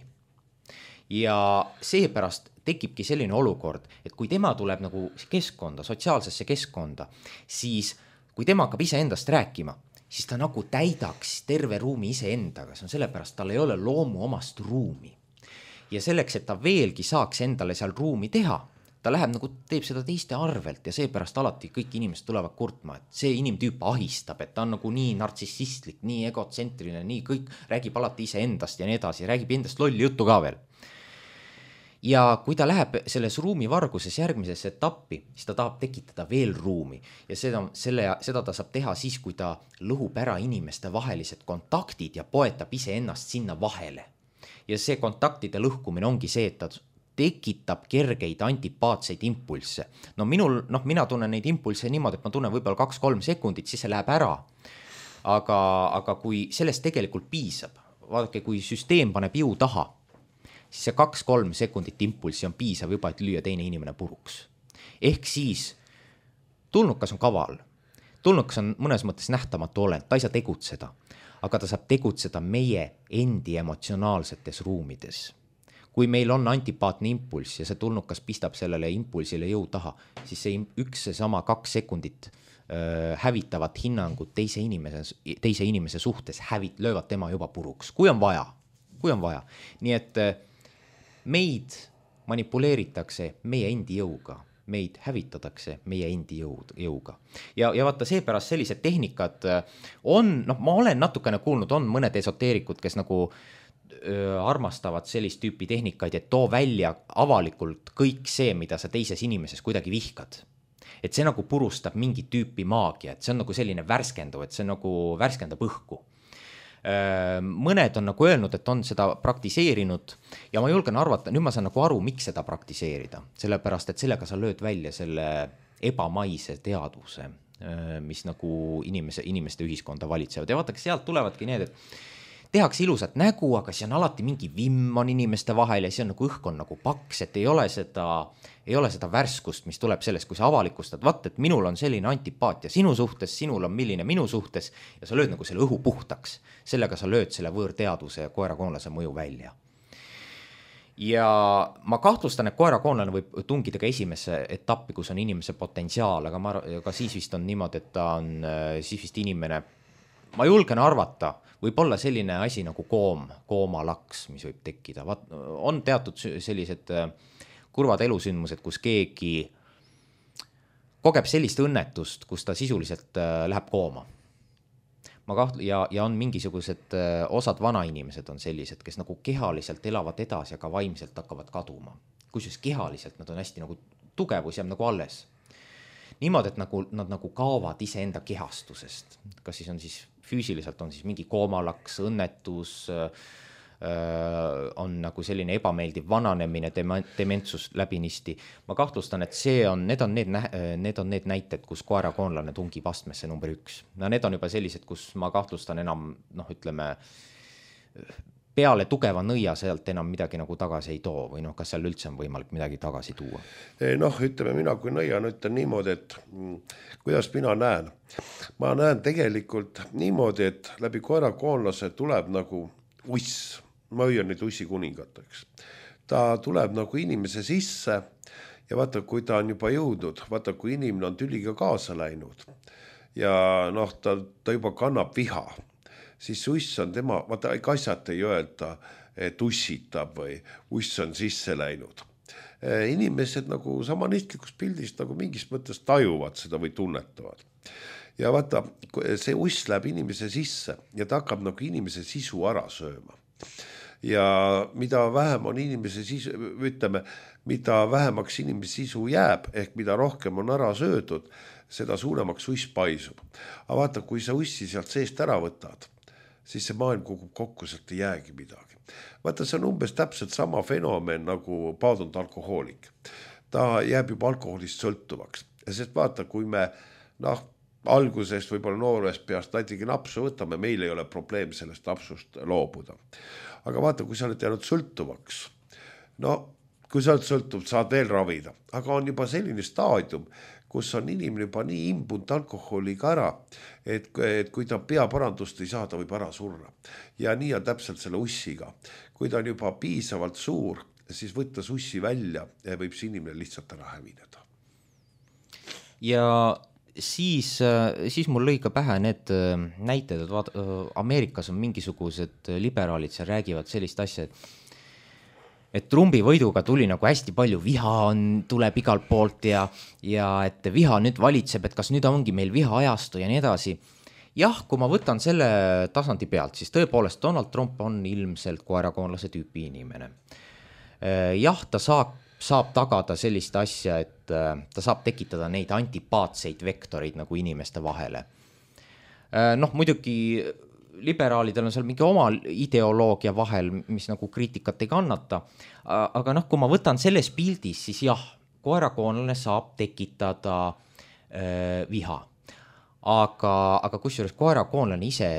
Ja seepärast tekibki selline olukord, et kui tema tuleb nagu keskkonda, sotsiaalsesse keskkonda, siis kui tema hakkab ise endast rääkima, siis ta nagu täidaks terve ruumi ise endaga. See on sellepärast, tal ei ole loomu omast ruumi. Ja selleks, et ta veelgi saaks endale seal ruumi teha, ta läheb nagu, teeb seda teiste arvelt ja seepärast alati kõik inimesed tulevad kurtma, et see inimtüüp ahistab, et ta on nagu nii nartsissistlik, nii egotsentriline, nii kõik räägib alati ise endast ja nii edasi, räägib endast lolli juttu ka veel. Ja kui ta läheb selles ruumivarguses järgmisesse etappi, siis ta tahab tekitada veel ruumi ja seda, selle, seda ta saab teha siis, kui ta lõhub ära inimeste vahelised kontaktid ja poetab ise ennast sinna vahele. Ja see kontaktide lõhkumine ongi see, et ta tekitab kergeid antipaatseid impulsse. No minul, noh, mina tunnen neid impulsse niimoodi, et ma tunnen võib-olla kaks-kolm sekundit, siis see läheb ära. Aga, aga kui sellest tegelikult piisab, vaadake, kui süsteem paneb jõu taha, siis see kaks-kolm sekundit impulssi on piisav juba, et lüüa teine inimene puruks. Ehk siis tulnukas on kaval. Tulnukas on mõnes mõttes nähtamatu olend, ta ei saa tegutseda, aga ta saab tegutseda meie endi emotsionaalsetes ruumides. Kui meil on antipaatne impulss ja see tulnukas pistab sellele impulsile jõu taha, siis see üks see sama kaks sekundit äh, hävitavat hinnangut teise inimese, teise inimese suhtes hävit, löövad tema juba puruks, kui on vaja, kui on vaja. Nii et äh, meid manipuleeritakse meie endi jõuga, meid hävitatakse meie endi jõud, jõuga. Ja, ja vaata seepärast sellised tehnikad on, noh, ma olen natukene kuulnud, on mõned esoteerikud, kes nagu öö, armastavad sellist tüüpi tehnikaid, et too välja avalikult kõik see, mida sa teises inimeses kuidagi vihkad. Et see nagu purustab mingi tüüpi maagia, et see on nagu selline värskendu, et see nagu värskendab õhku. Mõned on nagu öelnud, et on seda praktiseerinud ja ma julgen arvata, nüüd ma saan nagu aru, miks seda praktiseerida, sellepärast, et sellega sa lööd välja selle ebamaise teadvuse, mis nagu inimese, inimeste ühiskonda valitsevad ja vaata, sealt tulevadki need, et tehakse ilusat nägu, aga see on alati mingi vimm on inimeste vahel ja see on nagu õhk on nagu paks, et ei ole seda, ei ole seda värskust, mis tuleb sellest, kui sa avalikustad, vaat, et minul on selline antipaatia sinu suhtes, sinul on milline minu suhtes ja sa lööd nagu selle õhu puhtaks. Sellega sa lööd selle võõrteaduse ja koerakoonlase mõju välja. Ja ma kahtlustan, et koerakoonlane võib tungida ka esimesse etappi, kus on inimese potentsiaal, aga, ma, aga siis vist on niimoodi, et ta on siis vist inimene, ma julgen arvata, võib olla selline asi nagu koom, koomalaks, mis võib tekkida. Vaat, on teatud sellised kurvad elusündmused, kus keegi kogeb sellist õnnetust, kus ta sisuliselt läheb kooma. Ma kaht- ja, ja on mingisugused osad vanainimesed on sellised, kes nagu kehaliselt elavad edasi, aga vaimselt hakkavad kaduma. Kusjuures kehaliselt nad on hästi nagu tugevus jääb nagu alles. Niimoodi, et nagu, nad nagu kaovad iseenda kehastusest. Kas siis on siis füüsiliselt on siis mingi koomalaks, õnnetus, on nagu selline ebameeldiv vananemine, dementsus läbinisti. Ma kahtlustan, et see on, need on need, need on need näited, kus koerakoonlane tungib astmesse number üks. No need on juba sellised, kus ma kahtlustan enam, noh, ütleme, peale tugeva nõia sealt enam midagi nagu tagasi ei too või noh, kas seal üldse on võimalik midagi tagasi tuua? Noh, ütleme mina kui nõian ütlen niimoodi, et kuidas mina näen. Ma näen tegelikult niimoodi, et läbi koerakoonlase tuleb nagu uss, ma hüüan nüüd ussi kuningateks. Ta tuleb nagu inimese sisse ja vaata, kui ta on juba jõudnud, vaata, kui inimene on tüliga kaasa läinud ja noh, ta, ta juba kannab viha, siis uss on tema, vaata, kassat ei öelda, et ussitab või uss on sisse läinud. Inimesed nagu samanistlikus pildis nagu mingis mõttes tajuvad seda või tunnetavad. Ja vaata, see uss läheb inimese sisse ja ta hakkab nagu inimese sisu ära sööma. Ja mida vähem on inimese sisu, ütleme, mida vähemaks inimese sisu jääb, ehk mida rohkem on ära söödud, seda suuremaks uss paisub. Aga vaata, kui sa ussi sealt seest ära võtad, siis see maailm kukub kokku, sealt ei jäägi midagi. Vaata, see on umbes täpselt sama fenomen nagu paadunud alkohoolik. Ta jääb juba alkoholist sõltuvaks. Ja sest vaata, kui me noh, algusest võib-olla noorest peast natigi napsu võtame, meil ei ole probleem sellest napsust loobuda. Aga vaata, kui sa oled jäänud sõltuvaks, no kui sa oled sõltuv, saad veel ravida, aga on juba selline staadium, kus on inimene juba nii imbunud alkoholiga ära, et, et kui ta peaparandust ei saa, ta võib ära surra. Ja nii on täpselt selle ussiga. Kui ta on juba piisavalt suur, siis võttes ussi välja ja võib see inimene lihtsalt ära hävineda. Ja siis, siis mul lõi ka pähe need näited, et vaat, Ameerikas on mingisugused liberaalid, seal räägivad sellist asja, et et Trumpi võiduga tuli nagu hästi palju viha on, tuleb igalt poolt ja, ja et viha nüüd valitseb, et kas nüüd ongi meil viha ajastu ja nii edasi. Jah, kui ma võtan selle tasandi pealt, siis tõepoolest Donald Trump on ilmselt koerakoonlase tüüpi inimene. Jah, ta saab, saab tagada sellist asja, et ta saab tekitada neid antipaatseid vektoreid nagu inimeste vahele. Noh, muidugi liberaalidel on seal mingi oma ideoloogia vahel, mis nagu kriitikat ei kannata, aga noh, kui ma võtan selles pildis, siis jah, koerakoonlane saab tekitada äh, viha. Aga, aga kusjuures koerakoonlane ise,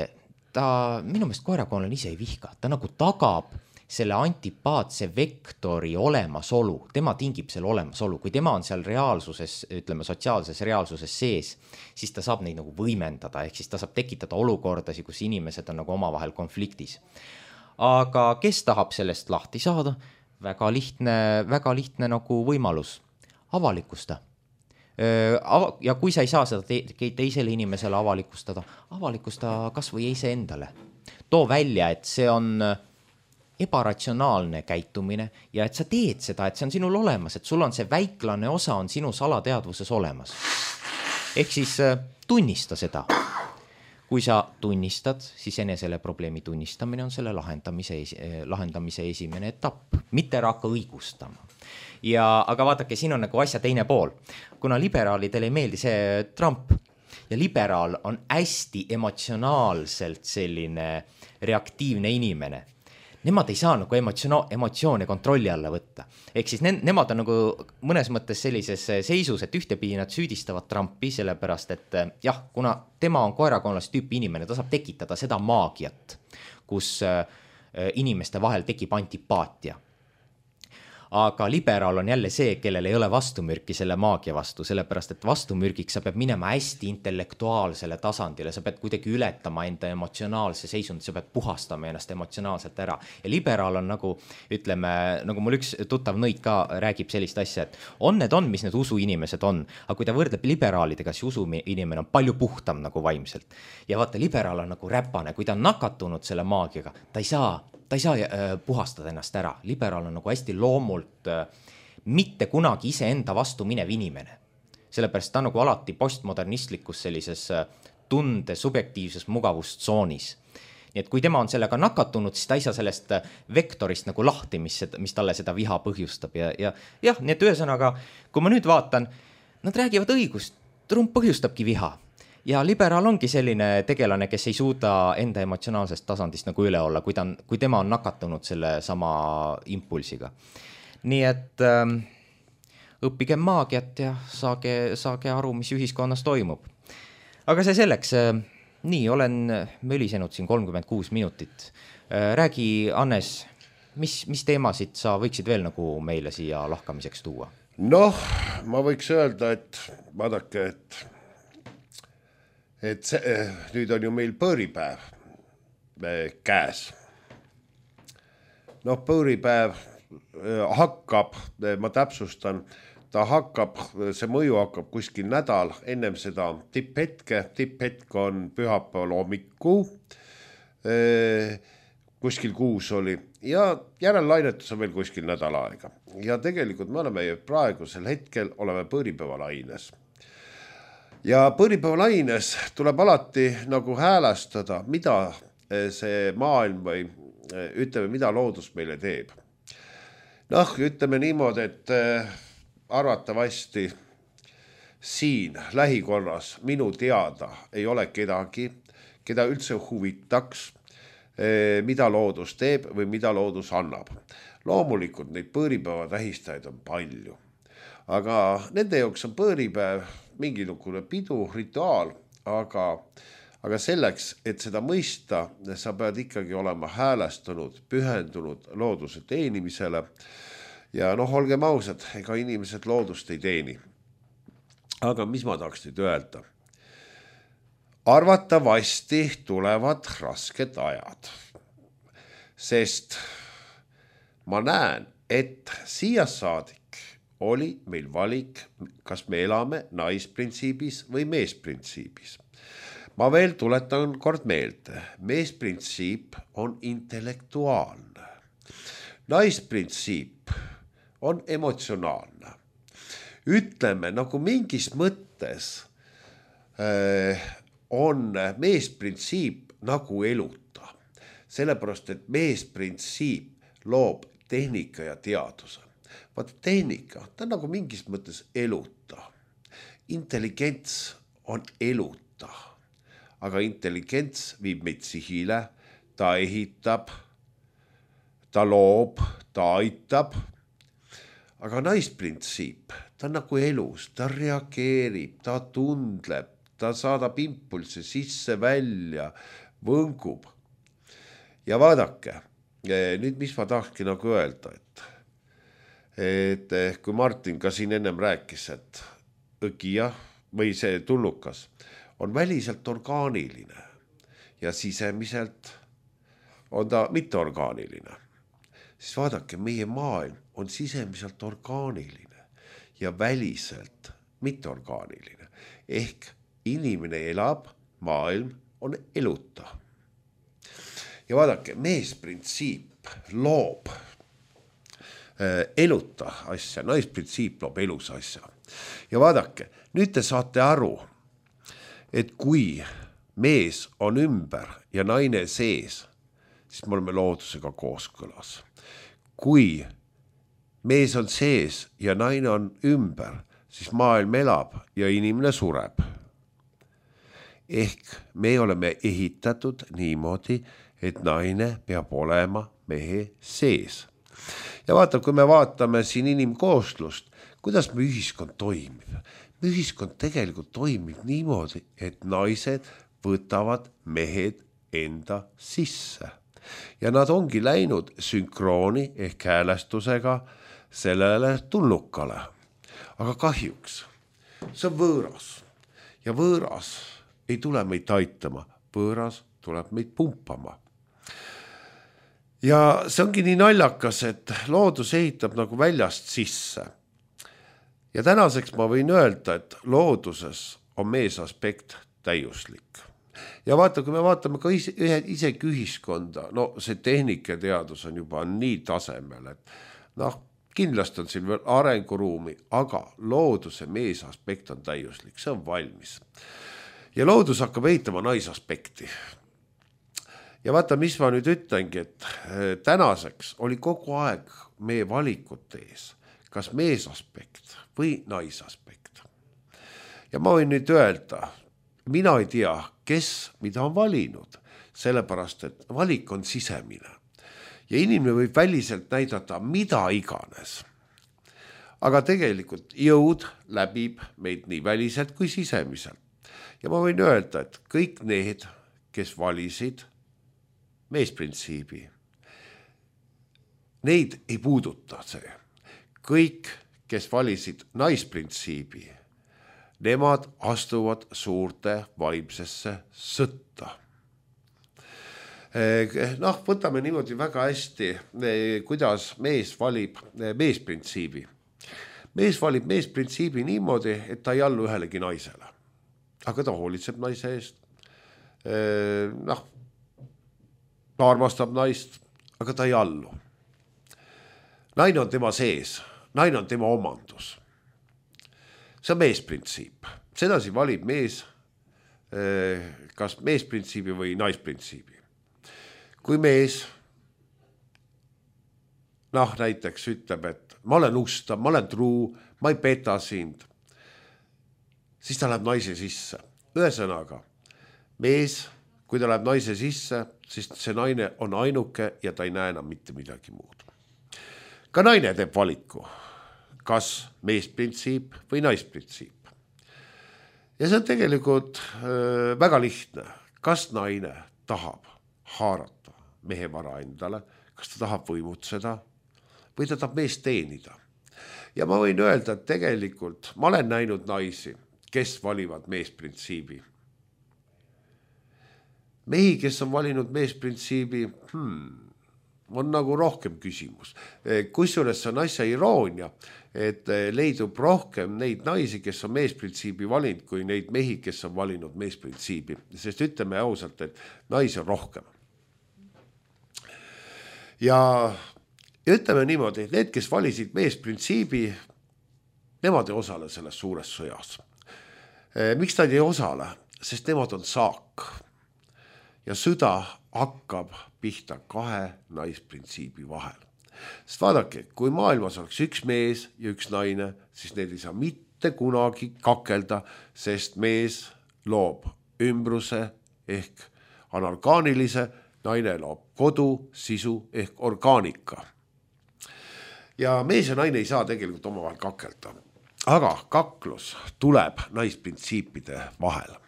ta, minu meelest koerakoonlane ise ei vihka, ta nagu tagab selle antipaatse vektori olemasolu, tema tingib selle olemasolu, kui tema on seal reaalsuses, ütleme sotsiaalses reaalsuses sees, siis ta saab neid nagu võimendada, ehk siis ta saab tekitada olukordasi, kus inimesed on nagu omavahel konfliktis. Aga kes tahab sellest lahti saada? Väga lihtne, väga lihtne nagu võimalus, avalikusta. Ja kui sa ei saa seda te- teisele inimesele avalikustada, avalikusta kas või ise endale. Too välja, et see on ebaratsionaalne käitumine ja et sa teed seda, et see on sinul olemas, et sul on see väiklane osa on sinu salateadvuses olemas. Ehk siis tunnista seda. Kui sa tunnistad, siis enesele probleemi tunnistamine on selle lahendamise, lahendamise esimene etapp, mitte hakka õigustama. Ja, aga vaadake, siin on nagu asja teine pool. Kuna liberaalidele ei meeldi see Trump ja liberaal on hästi emotsionaalselt selline reaktiivne inimene, nemad ei saa nagu emotsioon, emotsioone kontrolli alla võtta. Ehk siis ne, nemad on nagu mõnes mõttes sellises seisus, et ühtepidi nad süüdistavad Trumpi, sellepärast et jah, kuna tema on koerakonnas tüüpi inimene, ta saab tekitada seda maagiat, kus inimeste vahel tekib antipaatia. Aga liberaal on jälle see, kellel ei ole vastumürki selle maagia vastu, sellepärast et vastumürgiks sa pead minema hästi intellektuaalsele tasandile, sa pead kuidagi ületama enda emotsionaalse seisund, sa pead puhastama ennast emotsionaalselt ära. Ja liberaal on nagu, ütleme, nagu mul üks tuttav nõid ka räägib sellist asja, et on need on, mis need usuinimesed on, aga kui ta võrdleb liberaalidega, siis usuinimene on palju puhtam nagu vaimselt. Ja vaata, liberaal on nagu räpane, kui ta on nakatunud selle maagiaga, ta ei saa ta ei saa äh, puhastada ennast ära. Liberaal on nagu hästi loomult äh, mitte kunagi ise enda vastu minev inimene. Sellepärast ta on nagu alati postmodernistlikus sellises äh, tunde subjektiivses mugavustsoonis. Nii et kui tema on sellega nakatunud, siis ta ei saa sellest vektorist nagu lahti, mis, mis talle seda viha põhjustab. Ja, ja jah, nii et ühesõnaga, kui ma nüüd vaatan, nad räägivad õigust, Trump põhjustabki viha. Ja liberaal ongi selline tegelane, kes ei suuda enda emotsionaalsest tasandist nagu üle olla, kui, ta on, kui tema on nakatunud selle sama impulsiga. Nii et ähm, õppige maagiat ja saage, saage aru, mis ühiskonnas toimub. Aga see selleks, äh, nii, olen mölisenud siin kolmkümmend kuus minutit. Äh, räägi, Hannes, mis, mis teemasid sa võiksid veel nagu meile siia lahkamiseks tuua? Noh, ma võiks öelda, et vaadake, et et see, nüüd on ju meil põõripäev käes. Noh, põõripäev hakkab, ma täpsustan, ta hakkab, see mõju hakkab kuskil nädal, ennem seda tipphetke, tipphetk on pühapäeval hommiku, kuskil kuus oli ja järellainetus on veel kuskil nädal aega. Ja tegelikult me oleme praegusel hetkel oleme põõripäevalaines. Ja põõripäevalaines tuleb alati nagu häälestada, mida see maailm või ütleme, mida loodus meile teeb. Noh, ütleme niimoodi, et arvatavasti siin lähikonnas minu teada ei ole kedagi, keda üldse huvitaks, mida loodus teeb või mida loodus annab. Loomulikult neid põõripäeva tähistajaid on palju. Aga nende jaoks on põõripäev mingisugune pidu, rituaal, aga, aga selleks, et seda mõista, sa pead ikkagi olema häälestunud, pühendunud looduse teenimisele. Ja noh, olgem ausad, ega inimesed loodust ei teeni. Aga mis ma tahaks nüüd öelda? Arvatavasti tulevad rasked ajad, sest ma näen, et siia saadik oli meil valik, kas me elame naisprintsiibis või meesprintsiibis. Ma veel tuletan kord meelde, meesprintsiip on intellektuaalne. Naisprintsiip on emotsionaalne. Ütleme, nagu mingis mõttes äh, on meesprintsiip nagu eluta. Sellepärast, et meesprintsiip loob tehnika ja teaduse. Vaata, tehnika, ta on nagu mingis mõttes eluta. Intelligents on eluta, aga intelligents viib meid sihile, ta ehitab, ta loob, ta aitab. Aga naisprintsiip, ta on nagu elus, ta reageerib, ta tundleb, ta saadab impulse sisse välja, võngub. Ja vaadake, nüüd mis ma tahakski nagu öelda, et et kui Martin ka siin ennem rääkis, et õgija või see tullukas on väliselt orgaaniline ja sisemiselt on ta mitteorgaaniline, siis vaadake, meie maailm on sisemiselt orgaaniline ja väliselt mitteorgaaniline. Ehk inimene elab, maailm on eluta. Ja vaadake, meesprintsiip loob eluta asja, naisprintsiip loob elus asja. Ja vaadake, nüüd te saate aru, et kui mees on ümber ja naine sees, siis me oleme loodusega kooskõlas. Kui mees on sees ja naine on ümber, siis maailm elab ja inimene sureb. Ehk me oleme ehitatud niimoodi, et naine peab olema mehe sees. Ja vaata, kui me vaatame siin inimkooslust, kuidas me ühiskond toimib. Me ühiskond tegelikult toimib niimoodi, et naised võtavad mehed enda sisse. Ja nad ongi läinud sünkrooni ehk häälestusega sellele tulnukale. Aga kahjuks, see on võõras. Ja võõras ei tule meid aitama, võõras tuleb meid pumpama. Ja see ongi nii naljakas, et loodus ehitab nagu väljast sisse. Ja tänaseks ma võin öelda, et looduses on mees aspekt täiuslik. Ja vaata, kui me vaatame ka ise, isegi ühiskonda, no see tehnikateadus on juba nii tasemel, et noh, kindlasti on siin veel arenguruumi, aga looduse mees aspekt on täiuslik, see on valmis. Ja loodus hakkab ehitama naisaspekti. Ja vaata, mis ma nüüd ütlengi, et tänaseks oli kogu aeg meie valikute ees, kas meesaspekt või naisaspekt. Ja ma võin nüüd öelda, mina ei tea, kes mida on valinud, sellepärast, et valik on sisemine. Ja inimene võib väliselt näidata mida iganes. Aga tegelikult jõud läbib meid nii väliselt kui sisemiselt. Ja ma võin öelda, et kõik need, kes valisid meesprintsiibi, neid ei puuduta see. Kõik, kes valisid naisprintsiibi, nemad astuvad suurte vaimsesse sõtta. Noh, võtame niimoodi väga hästi, kuidas mees valib meesprintsiibi. Mees valib meesprintsiibi niimoodi, et ta ei allu ühelegi naisele. Aga ta hoolitseb naise eest. Noh, ta armastab naist, aga ta ei allu. Naine on tema sees, naine on tema omandus. See on meesprintsiip. Sedasi valib mees kas meesprintsiibi või naisprintsiibi. Kui mees noh, näiteks ütleb, et ma olen ustav, ma olen truu, ma ei peta sind, siis ta läheb naise sisse. Ühesõnaga, mees, kui ta läheb naise sisse, siis see naine on ainuke ja ta ei näe enam mitte midagi muud. Ka naine teeb valiku, kas meesprintsiip või naisprintsiip. Ja see on tegelikult äh, väga lihtne. Kas naine tahab haarata mehe vara endale, kas ta tahab võimutseda või ta tahab meest teenida. Ja ma võin öelda, et tegelikult ma olen näinud naisi, kes valivad meesprintsiibi. Mehi, kes on valinud meesprintsiibi, hmm, on nagu rohkem küsimus. Kusjuures see on asja iroonia, et leidub rohkem neid naisi, kes on meesprintsiibi valinud, kui neid mehi, kes on valinud meesprintsiibi. Sest ütleme ausalt, et naisi on rohkem. Ja ütleme niimoodi, et need, kes valisid meesprintsiibi, nemad ei osale selles suures sõjas. Miks nad ei osale? Sest nemad on saak. Ja sõda hakkab pihta kahe naisprintsiibi vahel. Sest vaadake, kui maailmas oleks üks mees ja üks naine, siis need ei saa mitte kunagi kakelda, sest mees loob ümbruse ehk anorgaanilise, naine loob kodu, sisu ehk orgaanika. Ja mees ja naine ei saa tegelikult omavahel kakelda. Aga kaklus tuleb naisprintsiipide vahel.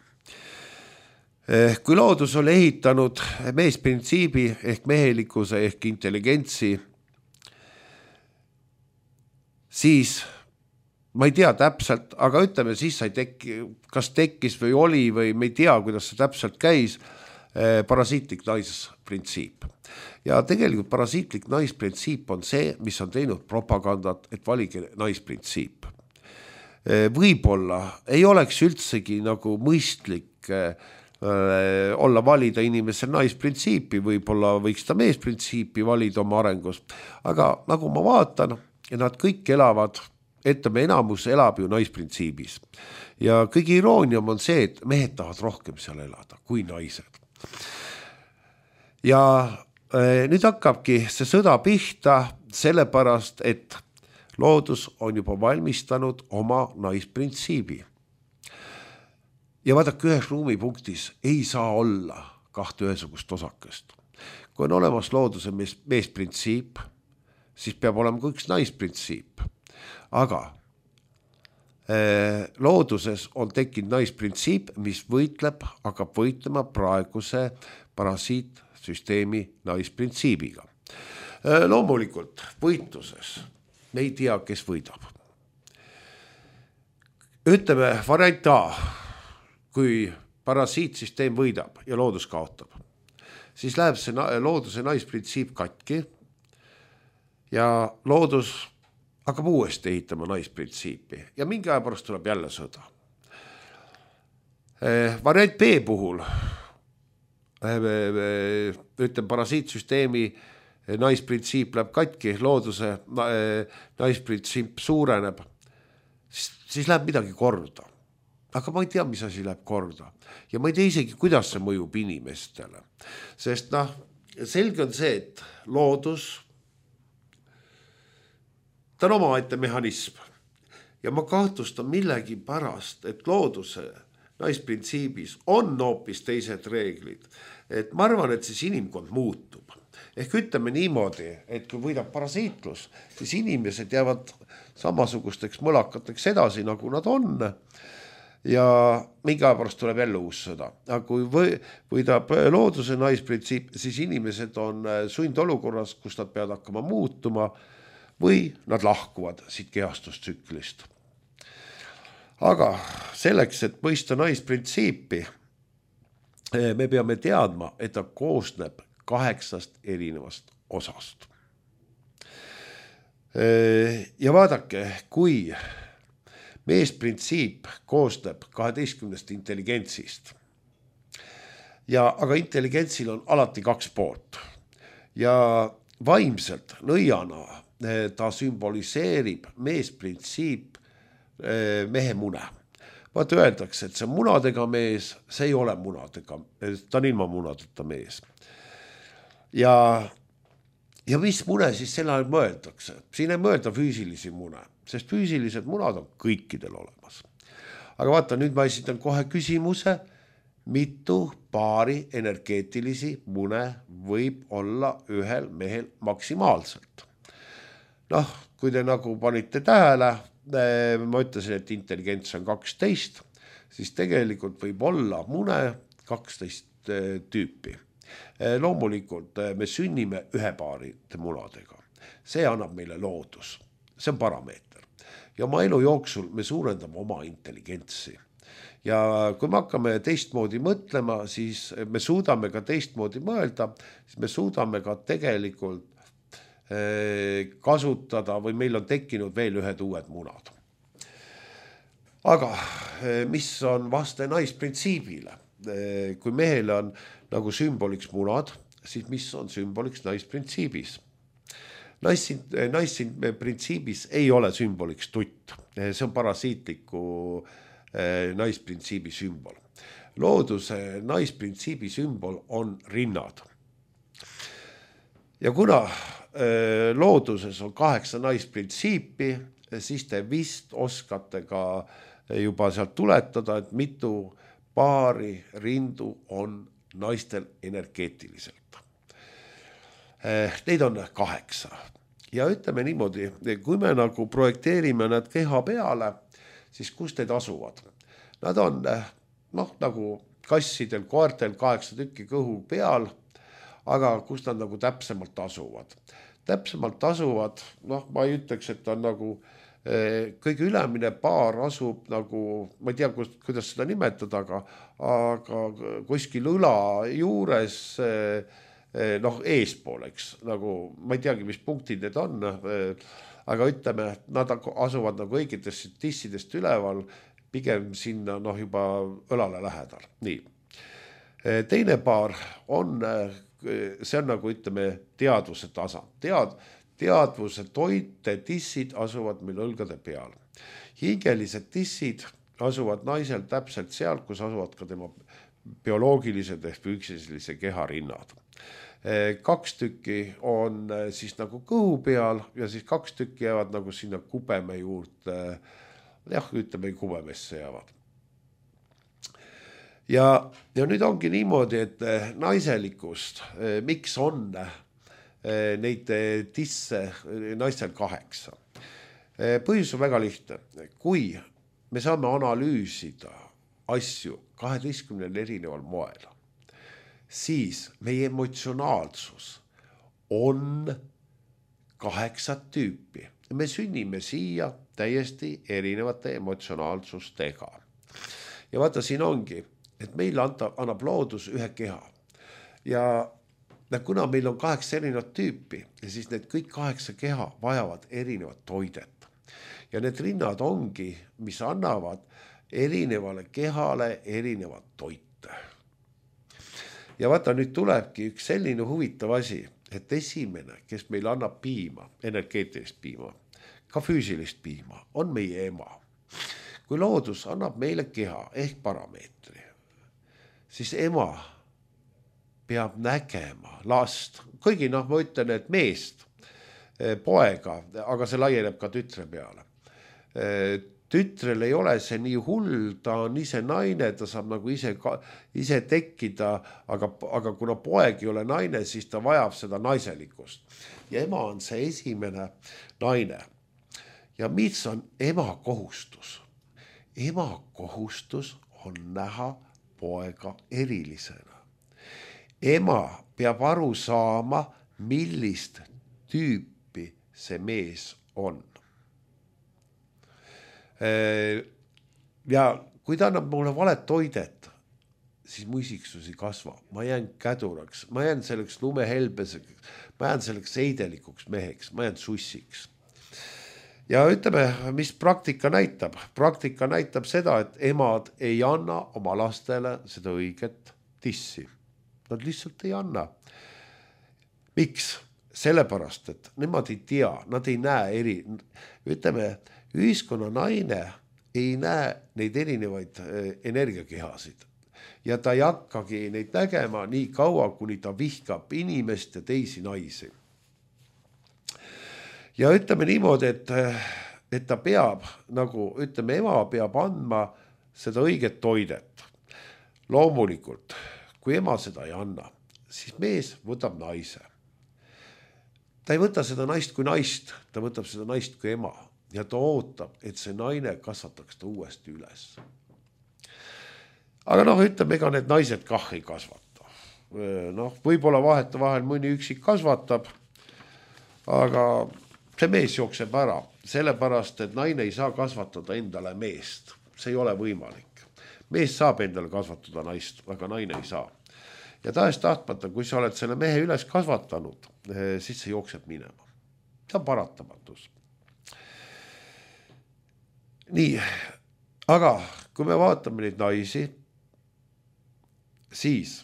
Kui loodus oli ehitanud meesprintsiibi ehk mehelikkuse ehk intelligentsi, siis ma ei tea täpselt, aga ütleme siis sai tekki, kas tekkis või oli või me ei tea, kuidas see täpselt käis, parasiitlik naisprintsiip. Ja tegelikult parasiitlik naisprintsiip on see, mis on teinud propagandat, et valige naisprintsiip. Võib-olla ei oleks üldsegi nagu mõistlik olla valida inimese naisprintsiipi, võib-olla võiks ta meesprintsiipi valida oma arengus, aga nagu ma vaatan, nad kõik elavad, ütleme enamus elab ju naisprintsiibis ja kõige iroonium on see, et mehed tahavad rohkem seal elada kui naised. Ja nüüd hakkabki see sõda pihta sellepärast, et loodus on juba valmistanud oma naisprintsiibi. Ja vaadake, ühes ruumipunktis ei saa olla kahte ühesugust osakest. Kui on olemas looduse mees, meesprintsiip, siis peab olema ka üks naisprintsiip. Aga eh, looduses on tekkinud naisprintsiip, mis võitleb, hakkab võitlema praeguse parasiitsüsteemi naisprintsiibiga. Eh, loomulikult võitluses me ei tea, kes võidab. Ütleme variant A. Kui parasiitsüsteem võidab ja loodus kaotab, siis läheb see looduse naisprintsiip katki ja loodus hakkab uuesti ehitama naisprintsiipi ja mingi aja pärast tuleb jälle sõda. Eh, variant B puhul eh, ütleme parasiitsüsteemi naisprintsiip läheb katki, looduse eh, naisprintsiip suureneb, siis, siis läheb midagi korda. Aga ma ei tea, mis asi läheb korda. Ja ma ei tea isegi, kuidas see mõjub inimestele. Sest noh, selge on see, et loodus, ta on omaette mehhanism. Ja ma kahtlustan millegi pärast, et looduse naisprintsiibis on hoopis teised reeglid. Et ma arvan, et siis inimkond muutub. Ehk ütleme niimoodi, et kui võidab parasiitlus, siis inimesed jäävad samasugusteks mõlakateks edasi, nagu nad on. Ja mingi aja pärast tuleb jälle uus sõda. Aga kui võidab looduse naisprintsiip, siis inimesed on sundolukorras, kus nad peavad hakkama muutuma või nad lahkuvad siit kehastustsüklist. Aga selleks, et mõista naisprintsiipi, me peame teadma, et ta koosneb kaheksast erinevast osast. Ja vaadake, kui meesprintsiip koosneb kaheteistkümnest intelligentsist. Ja, aga intelligentsil on alati kaks poolt. Ja vaimselt nõiana ta sümboliseerib meesprintsiip mehe mune. Vaata öeldakse, et see munadega mees, see ei ole munadega, ta on ilma munadeta mees. Ja, ja mis mune siis selle ajal mõeldakse? Siin ei mõelda füüsilisi mune. Sest füüsilised munad on kõikidel olemas. Aga vaata, nüüd ma esitan kohe küsimuse, mitu paari energeetilisi mune võib olla ühel mehel maksimaalselt. Noh, kui te nagu panite tähele, ma ütlesin, et intelligents on kaksteist, siis tegelikult võib olla mune kaksteist tüüpi. Loomulikult me sünnime ühe paari munadega. See annab meile loodus. See on parameeter. Ja oma elu jooksul me suurendame oma intelligentsi. Ja kui me hakkame teistmoodi mõtlema, siis me suudame ka teistmoodi mõelda, siis me suudame ka tegelikult kasutada või meil on tekkinud veel ühed uued munad. Aga mis on vaste naisprintsiibile? Kui mehel on nagu sümboliks munad, siis mis on sümboliks naisprintsiibis? Naisprintsiibis ei ole sümboliks tutt. See on parasiitliku naisprintsiibi sümbol. Looduse naisprintsiibi sümbol on rinnad. Ja kuna looduses on kaheksa naisprintsiipi, siis te vist oskate ka juba sealt tuletada, et mitu paari rindu on naistel energeetiliselt. Neid on kaheksa. Ja ütleme niimoodi, kui me nagu projekteerime nad keha peale, siis kus need asuvad? Nad on noh, nagu kassidel, koertel kaheksa tükki kõhu peal, aga kus nad nagu täpsemalt asuvad? Täpsemalt asuvad, noh, ma ei ütleks, et on nagu kõige ülemine paar asub nagu, ma ei tea, kuidas seda nimetada, aga, aga kuskil õla juures noh, eespooleks, nagu ma ei teagi, mis punktid need on, aga ütleme, nad asuvad nagu õigetest tissidest üleval, pigem sinna noh, juba õlale lähedal. Nii. teine paar on, see on nagu ütleme teadvuse tasand. Tead, teadvuse toite tissid asuvad meil õlgade peal. Hingelised tissid asuvad naisel täpselt seal, kus asuvad ka tema bioloogilised ehk füüsilise keha rinnad. Kaks tükki on siis nagu kõhu peal ja siis kaks tükki jäävad nagu sinna kubeme juurde, jah, ütleme kubemesse jäävad. Ja, ja nüüd ongi niimoodi, et naiselikust, miks on neid tisse naistel kaheksa? Põhjus on väga lihtne. Kui me saame analüüsida asju kaheteistkümnel erineval moel, siis meie emotsionaalsus on kaheksat tüüpi. Me sünnime siia täiesti erinevate emotsionaalsustega. Ja vaata, siin ongi, et meil annab loodus ühe keha. Ja kuna meil on kaheksa erinevat tüüpi, siis need kõik kaheksa keha vajavad erinevat toidet. Ja need rinnad ongi, mis annavad erinevale kehale erinevat toite. Ja vaata, nüüd tulebki üks selline huvitav asi, et esimene, kes meil annab piima, energeetilist piima, ka füüsilist piima, on meie ema. Kui loodus annab meile keha ehk parameetri, siis ema peab nägema last, kuigi noh, ma ütlen, et meest, poega, aga see laieneb ka tütre peale. Tütrel ei ole see nii hull, ta on ise naine, ta saab nagu ise, ise tekkida, aga, aga kuna poeg ei ole naine, siis ta vajab seda naiselikkust. Ja ema on see esimene naine. Ja mis on ema kohustus? Ema kohustus on näha poega erilisena. Ema peab aru saama, millist tüüpi see mees on. Ja kui ta annab mulle valet toidet, siis mu isiksus ei kasva. Ma jään käduraks, ma jään selleks lumehelbeseks, ma jään selleks eidelikuks meheks, ma jään sussiks. Ja ütleme, mis praktika näitab? Praktika näitab seda, et emad ei anna oma lastele seda õiget tissi. Nad lihtsalt ei anna. Miks? Sellepärast, et nemad ei tea, nad ei näe eri, ütleme, ühiskonna naine ei näe neid erinevaid energiakehasid ja ta ei hakkagi neid nägema nii kaua, kuni ta vihkab inimest ja teisi naisi. Ja ütleme niimoodi, et, et ta peab, nagu ütleme, ema peab andma seda õiget toidet. Loomulikult, kui ema seda ei anna, siis mees võtab naise. Ta ei võta seda naist kui naist, ta võtab seda naist kui ema. Ja ta ootab, et see naine kasvataks ta uuesti üles. Aga noh, ütleme, ega need naised kah ei kasvata. Noh, võib-olla vaheta vahel mõni üksik kasvatab, aga see mees jookseb ära, sellepärast, et naine ei saa kasvatada endale meest. See ei ole võimalik. Mees saab endale kasvatada naist, aga naine ei saa. Ja tahes tahtmata, kui sa oled selle mehe üles kasvatanud, siis see jookseb minema. See on paratamatus. Nii, aga kui me vaatame neid naisi, siis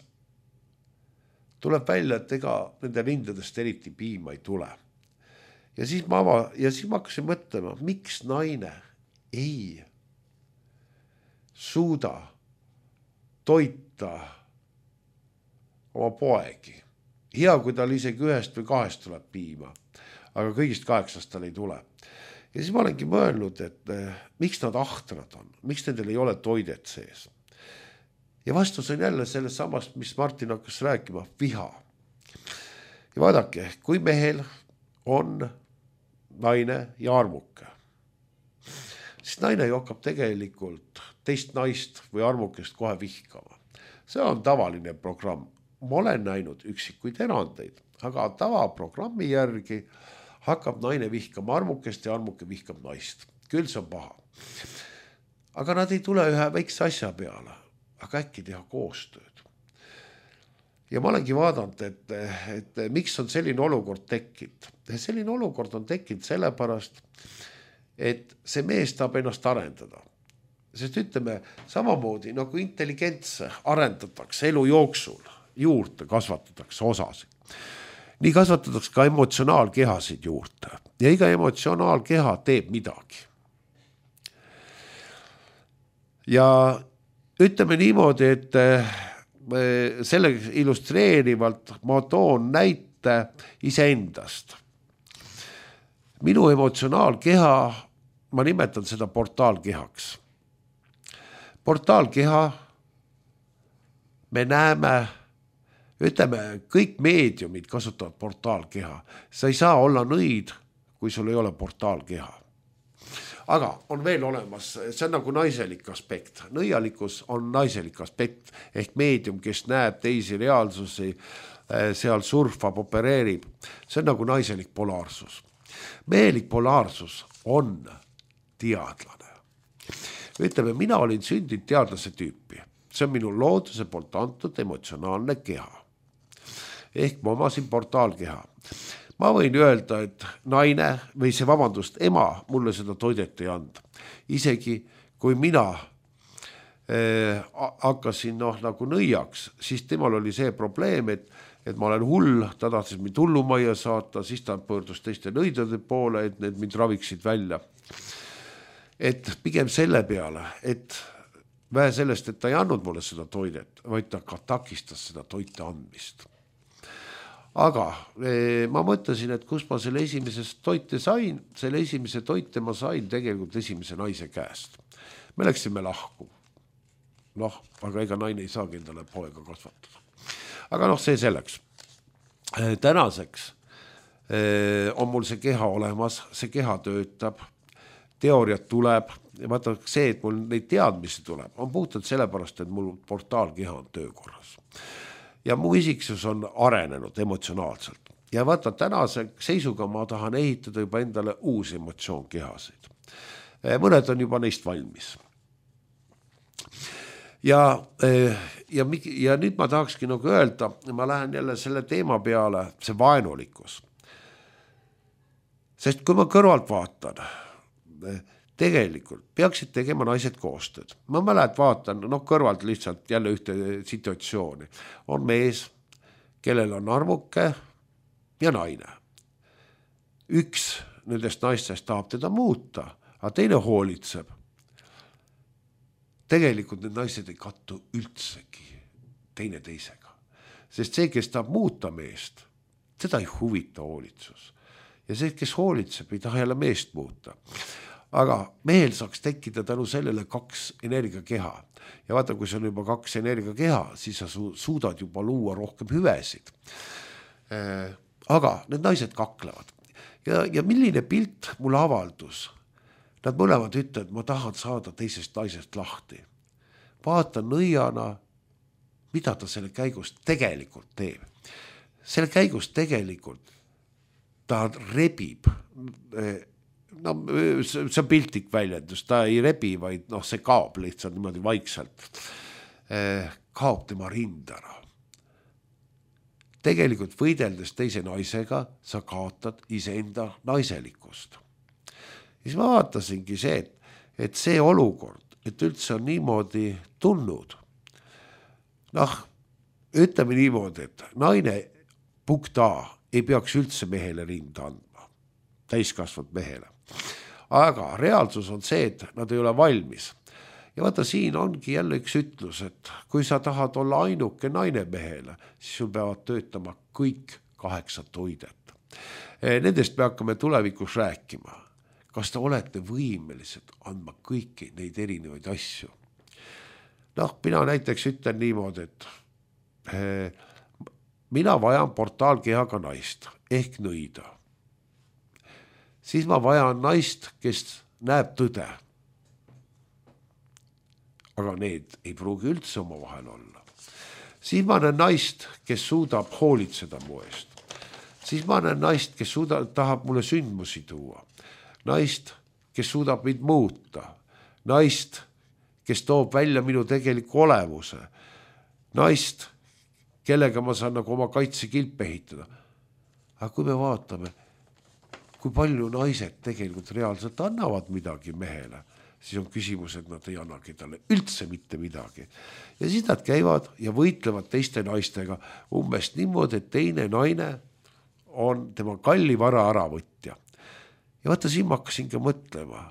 tuleb välja, et ega nende rindadest eriti piima ei tule. Ja siis ma, ava, ja siis ma hakkasin mõtlema, miks naine ei suuda toita oma poegi. Hea, kui tal isegi ühest või kahest tuleb piima, aga kõigist kaheksast tal ei tule. Ja siis ma olengi mõelnud, et miks nad ahtrad on, miks nendel ei ole toidet sees. Ja vastus on jälle sellest samast, mis Martin hakkas rääkima, viha. Ja vaadake, kui mehel on naine ja armuke, siis naine jokkab tegelikult teist naist või armukest kohe vihkama. See on tavaline programm. Ma olen näinud üksikuid erandeid, aga tavaprogrammi järgi hakkab naine vihkama armukest ja armuke vihkab naist. Küll see on paha. Aga nad ei tule ühe väikse asja peale, aga äkki teha koostööd. Ja ma olengi vaadanud, et, et miks on selline olukord tekkinud. Selline olukord on tekkinud sellepärast, et see mees tahab ennast arendada. sest ütleme samamoodi nagu intelligentse arendatakse elu jooksul, juurde kasvatatakse osasid. Nii kasvatatakse ka emotsionaalkehasid juurde ja iga emotsionaalkeha teeb midagi. Ja ütleme niimoodi, et selle illustreerivalt ma toon näite iseendast. Minu emotsionaalkeha, ma nimetan seda portaalkehaks. Portaalkeha, me näeme, ütleme, kõik meediumid kasutavad portaalkeha. Sa ei saa olla nõid, kui sul ei ole portaalkeha. Aga on veel olemas, see on nagu naiselik aspekt. Nõialikkus on naiselik aspekt, ehk meedium, kes näeb teisi reaalsusi, seal surfab, opereerib. See on nagu naiselik polaarsus. Mehelik polaarsus on teadlane. Ütleme, mina olin sündinud teadlase tüüpi. See on minu looduse poolt antud emotsionaalne keha. Ehk ma omasin portaalkeha. Ma võin öelda, et naine või see vabandust, ema mulle seda toidet ei anda. Isegi kui mina eh, hakkasin noh, nagu nõiaks, siis temal oli see probleem, et, et ma olen hull, ta tahtis mind hullumajja saata, siis ta pöördus teiste nõidade poole, et need mind raviksid välja. Et pigem selle peale, et vähe sellest, et ta ei andnud mulle seda toidet, vaid ta ka takistas seda toite andmist. Aga eh, ma mõtlesin, et kus ma selle esimesest toite sain, selle esimese toite ma sain tegelikult esimese naise käest. Me läksime lahku. Noh, aga ega naine ei saagi endale poega kasvatada. Aga noh, see selleks. Eh, tänaseks eh, on mul see keha olemas, see keha töötab, teooriat tuleb ja vaata see, et mul neid teadmisi tuleb, on puhtalt sellepärast, et mul portaalkeha on töökorras. Ja mu isiksus on arenenud emotsionaalselt. Ja vaata, tänase seisuga ma tahan ehitada juba endale uusi emotsioonkehasid. Mõned on juba neist valmis. Ja, ja, ja nüüd ma tahakski nagu öelda, ma lähen jälle selle teema peale, see vaenulikkus. Sest kui ma kõrvalt vaatan, tegelikult peaksid tegema naised koostööd. Ma mäled vaatan, noh kõrvalt lihtsalt jälle ühte situatsiooni. On mees, kellel on armuke ja naine. Üks nendest naistest tahab teda muuta, aga teine hoolitseb. Tegelikult need naised ei kattu üldsegi teine teisega. Sest see, kes tahab muuta meest, seda ei huvita hoolitsus. Ja see, kes hoolitseb, ei taha jälle meest muuta. Aga mehel saaks tekkida tänu sellele kaks energiakeha. Ja vaata, kui see on juba kaks energiakeha, siis sa su- suudad juba luua rohkem hüvesid. Äh, aga need naised kaklevad. Ja, ja milline pilt mul avaldus? Nad mõlemad ütlevad, ma tahan saada teisest naisest lahti. Vaata nõiana, mida ta selle käigus tegelikult teeb. Selle käigus tegelikult ta rebib äh, no see on piltlik väljendus, ta ei rebi, vaid noh, see kaob lihtsalt niimoodi vaikselt. Kaob tema rind ära. Tegelikult võideldes teise naisega, sa kaotad iseenda naiselikkust. Ja siis ma vaatasingi see, et, et see olukord, et üldse on niimoodi tunnud. Noh, ütleme niimoodi, et naine punkt A ei peaks üldse mehele rinda andma, täiskasvanud mehele. Aga reaalsus on see, et nad ei ole valmis. Ja vaata, siin ongi jälle üks ütlus, et kui sa tahad olla ainuke naine mehele, siis sul peavad töötama kõik kaheksa toidet. Nendest me hakkame tulevikus rääkima. Kas te olete võimelised andma kõiki neid erinevaid asju? Noh, mina näiteks ütlen niimoodi, et mina vajan portaalkehaga naist ehk nõida. Siis ma vajan naist, kes näeb tõde. Aga need ei pruugi üldse oma vahel olla. Siis ma näen naist, kes suudab hoolitseda mu eest. Siis ma näen naist, kes suudab, tahab mulle sündmusi tuua. Naist, kes suudab mind muuta. Naist, kes toob välja minu tegeliku olemuse. Naist, kellega ma saan nagu oma kaitsekilp ehitada. Aga kui me vaatame, kui palju naised tegelikult reaalselt annavad midagi mehele, siis on küsimus, et nad ei annagi talle üldse mitte midagi. Ja siis nad käivad ja võitlevad teiste naistega umbes niimoodi, et teine naine on tema kalli vara äravõtja. Ja vaata, siin ma hakkasin ka mõtlema,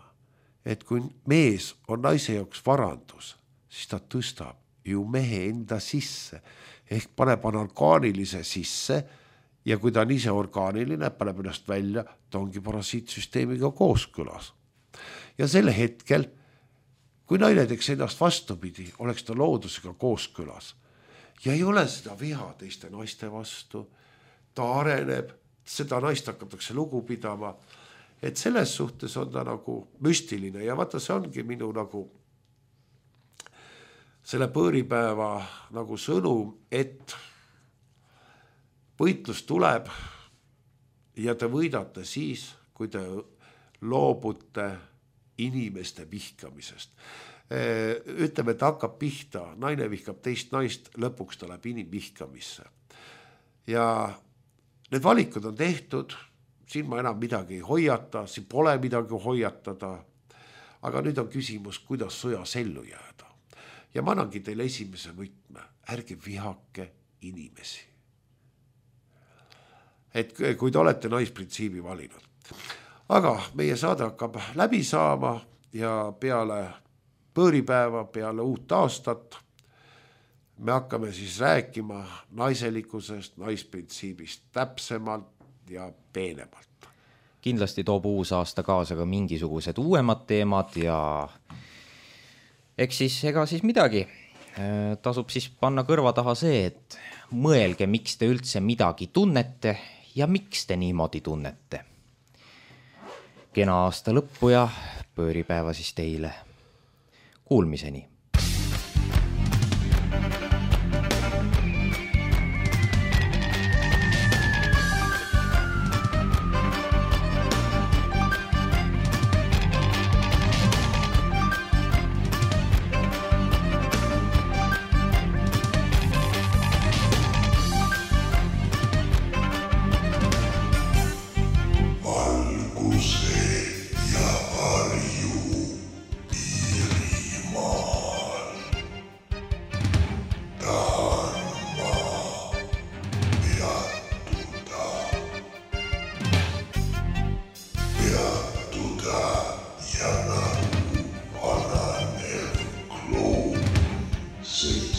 et kui mees on naise jaoks varandus, siis ta tõstab ju mehe enda sisse ehk paneb orgaanilise sisse ja kui ta on ise orgaaniline, paneb ennast välja, ta ongi parasiitsüsteemiga kooskõlas. Ja selle hetkel, kui naine teeks ennast vastupidi, oleks ta loodusega kooskõlas ja ei ole seda viha teiste naiste vastu, ta areneb, seda naist hakatakse lugu pidama, et selles suhtes on ta nagu müstiline ja vaata, see ongi minu nagu selle pööripäeva nagu sõnum, et võitlus tuleb ja te võidate siis, kui te loobute inimeste vihkamisest. Ütleme, et hakkab pihta, naine vihkab teist naist, lõpuks ta läheb inimvihkamisse. Ja need valikud on tehtud, siin ma enam midagi ei hoiata, siin pole midagi hoiatada, aga nüüd on küsimus, kuidas sõjas ellu jääda. Ja ma annangi teile esimese võtme, ärge vihake inimesi. Et kui te olete naisprintsiibi valinud. Aga meie saade hakkab läbi saama ja peale pööripäeva, peale uut aastat me hakkame siis rääkima naiselikkusest, naisprintsiibist täpsemalt ja peenemalt. Kindlasti toob uus aasta kaasa ka mingisugused uuemad teemad ja eks siis, ega siis midagi. Tasub siis panna kõrva taha see, et mõelge, miks te üldse midagi tunnete ja miks te niimoodi tunnete. Kena aasta lõppu ja pööripäeva siis teile. Kuulmiseni. See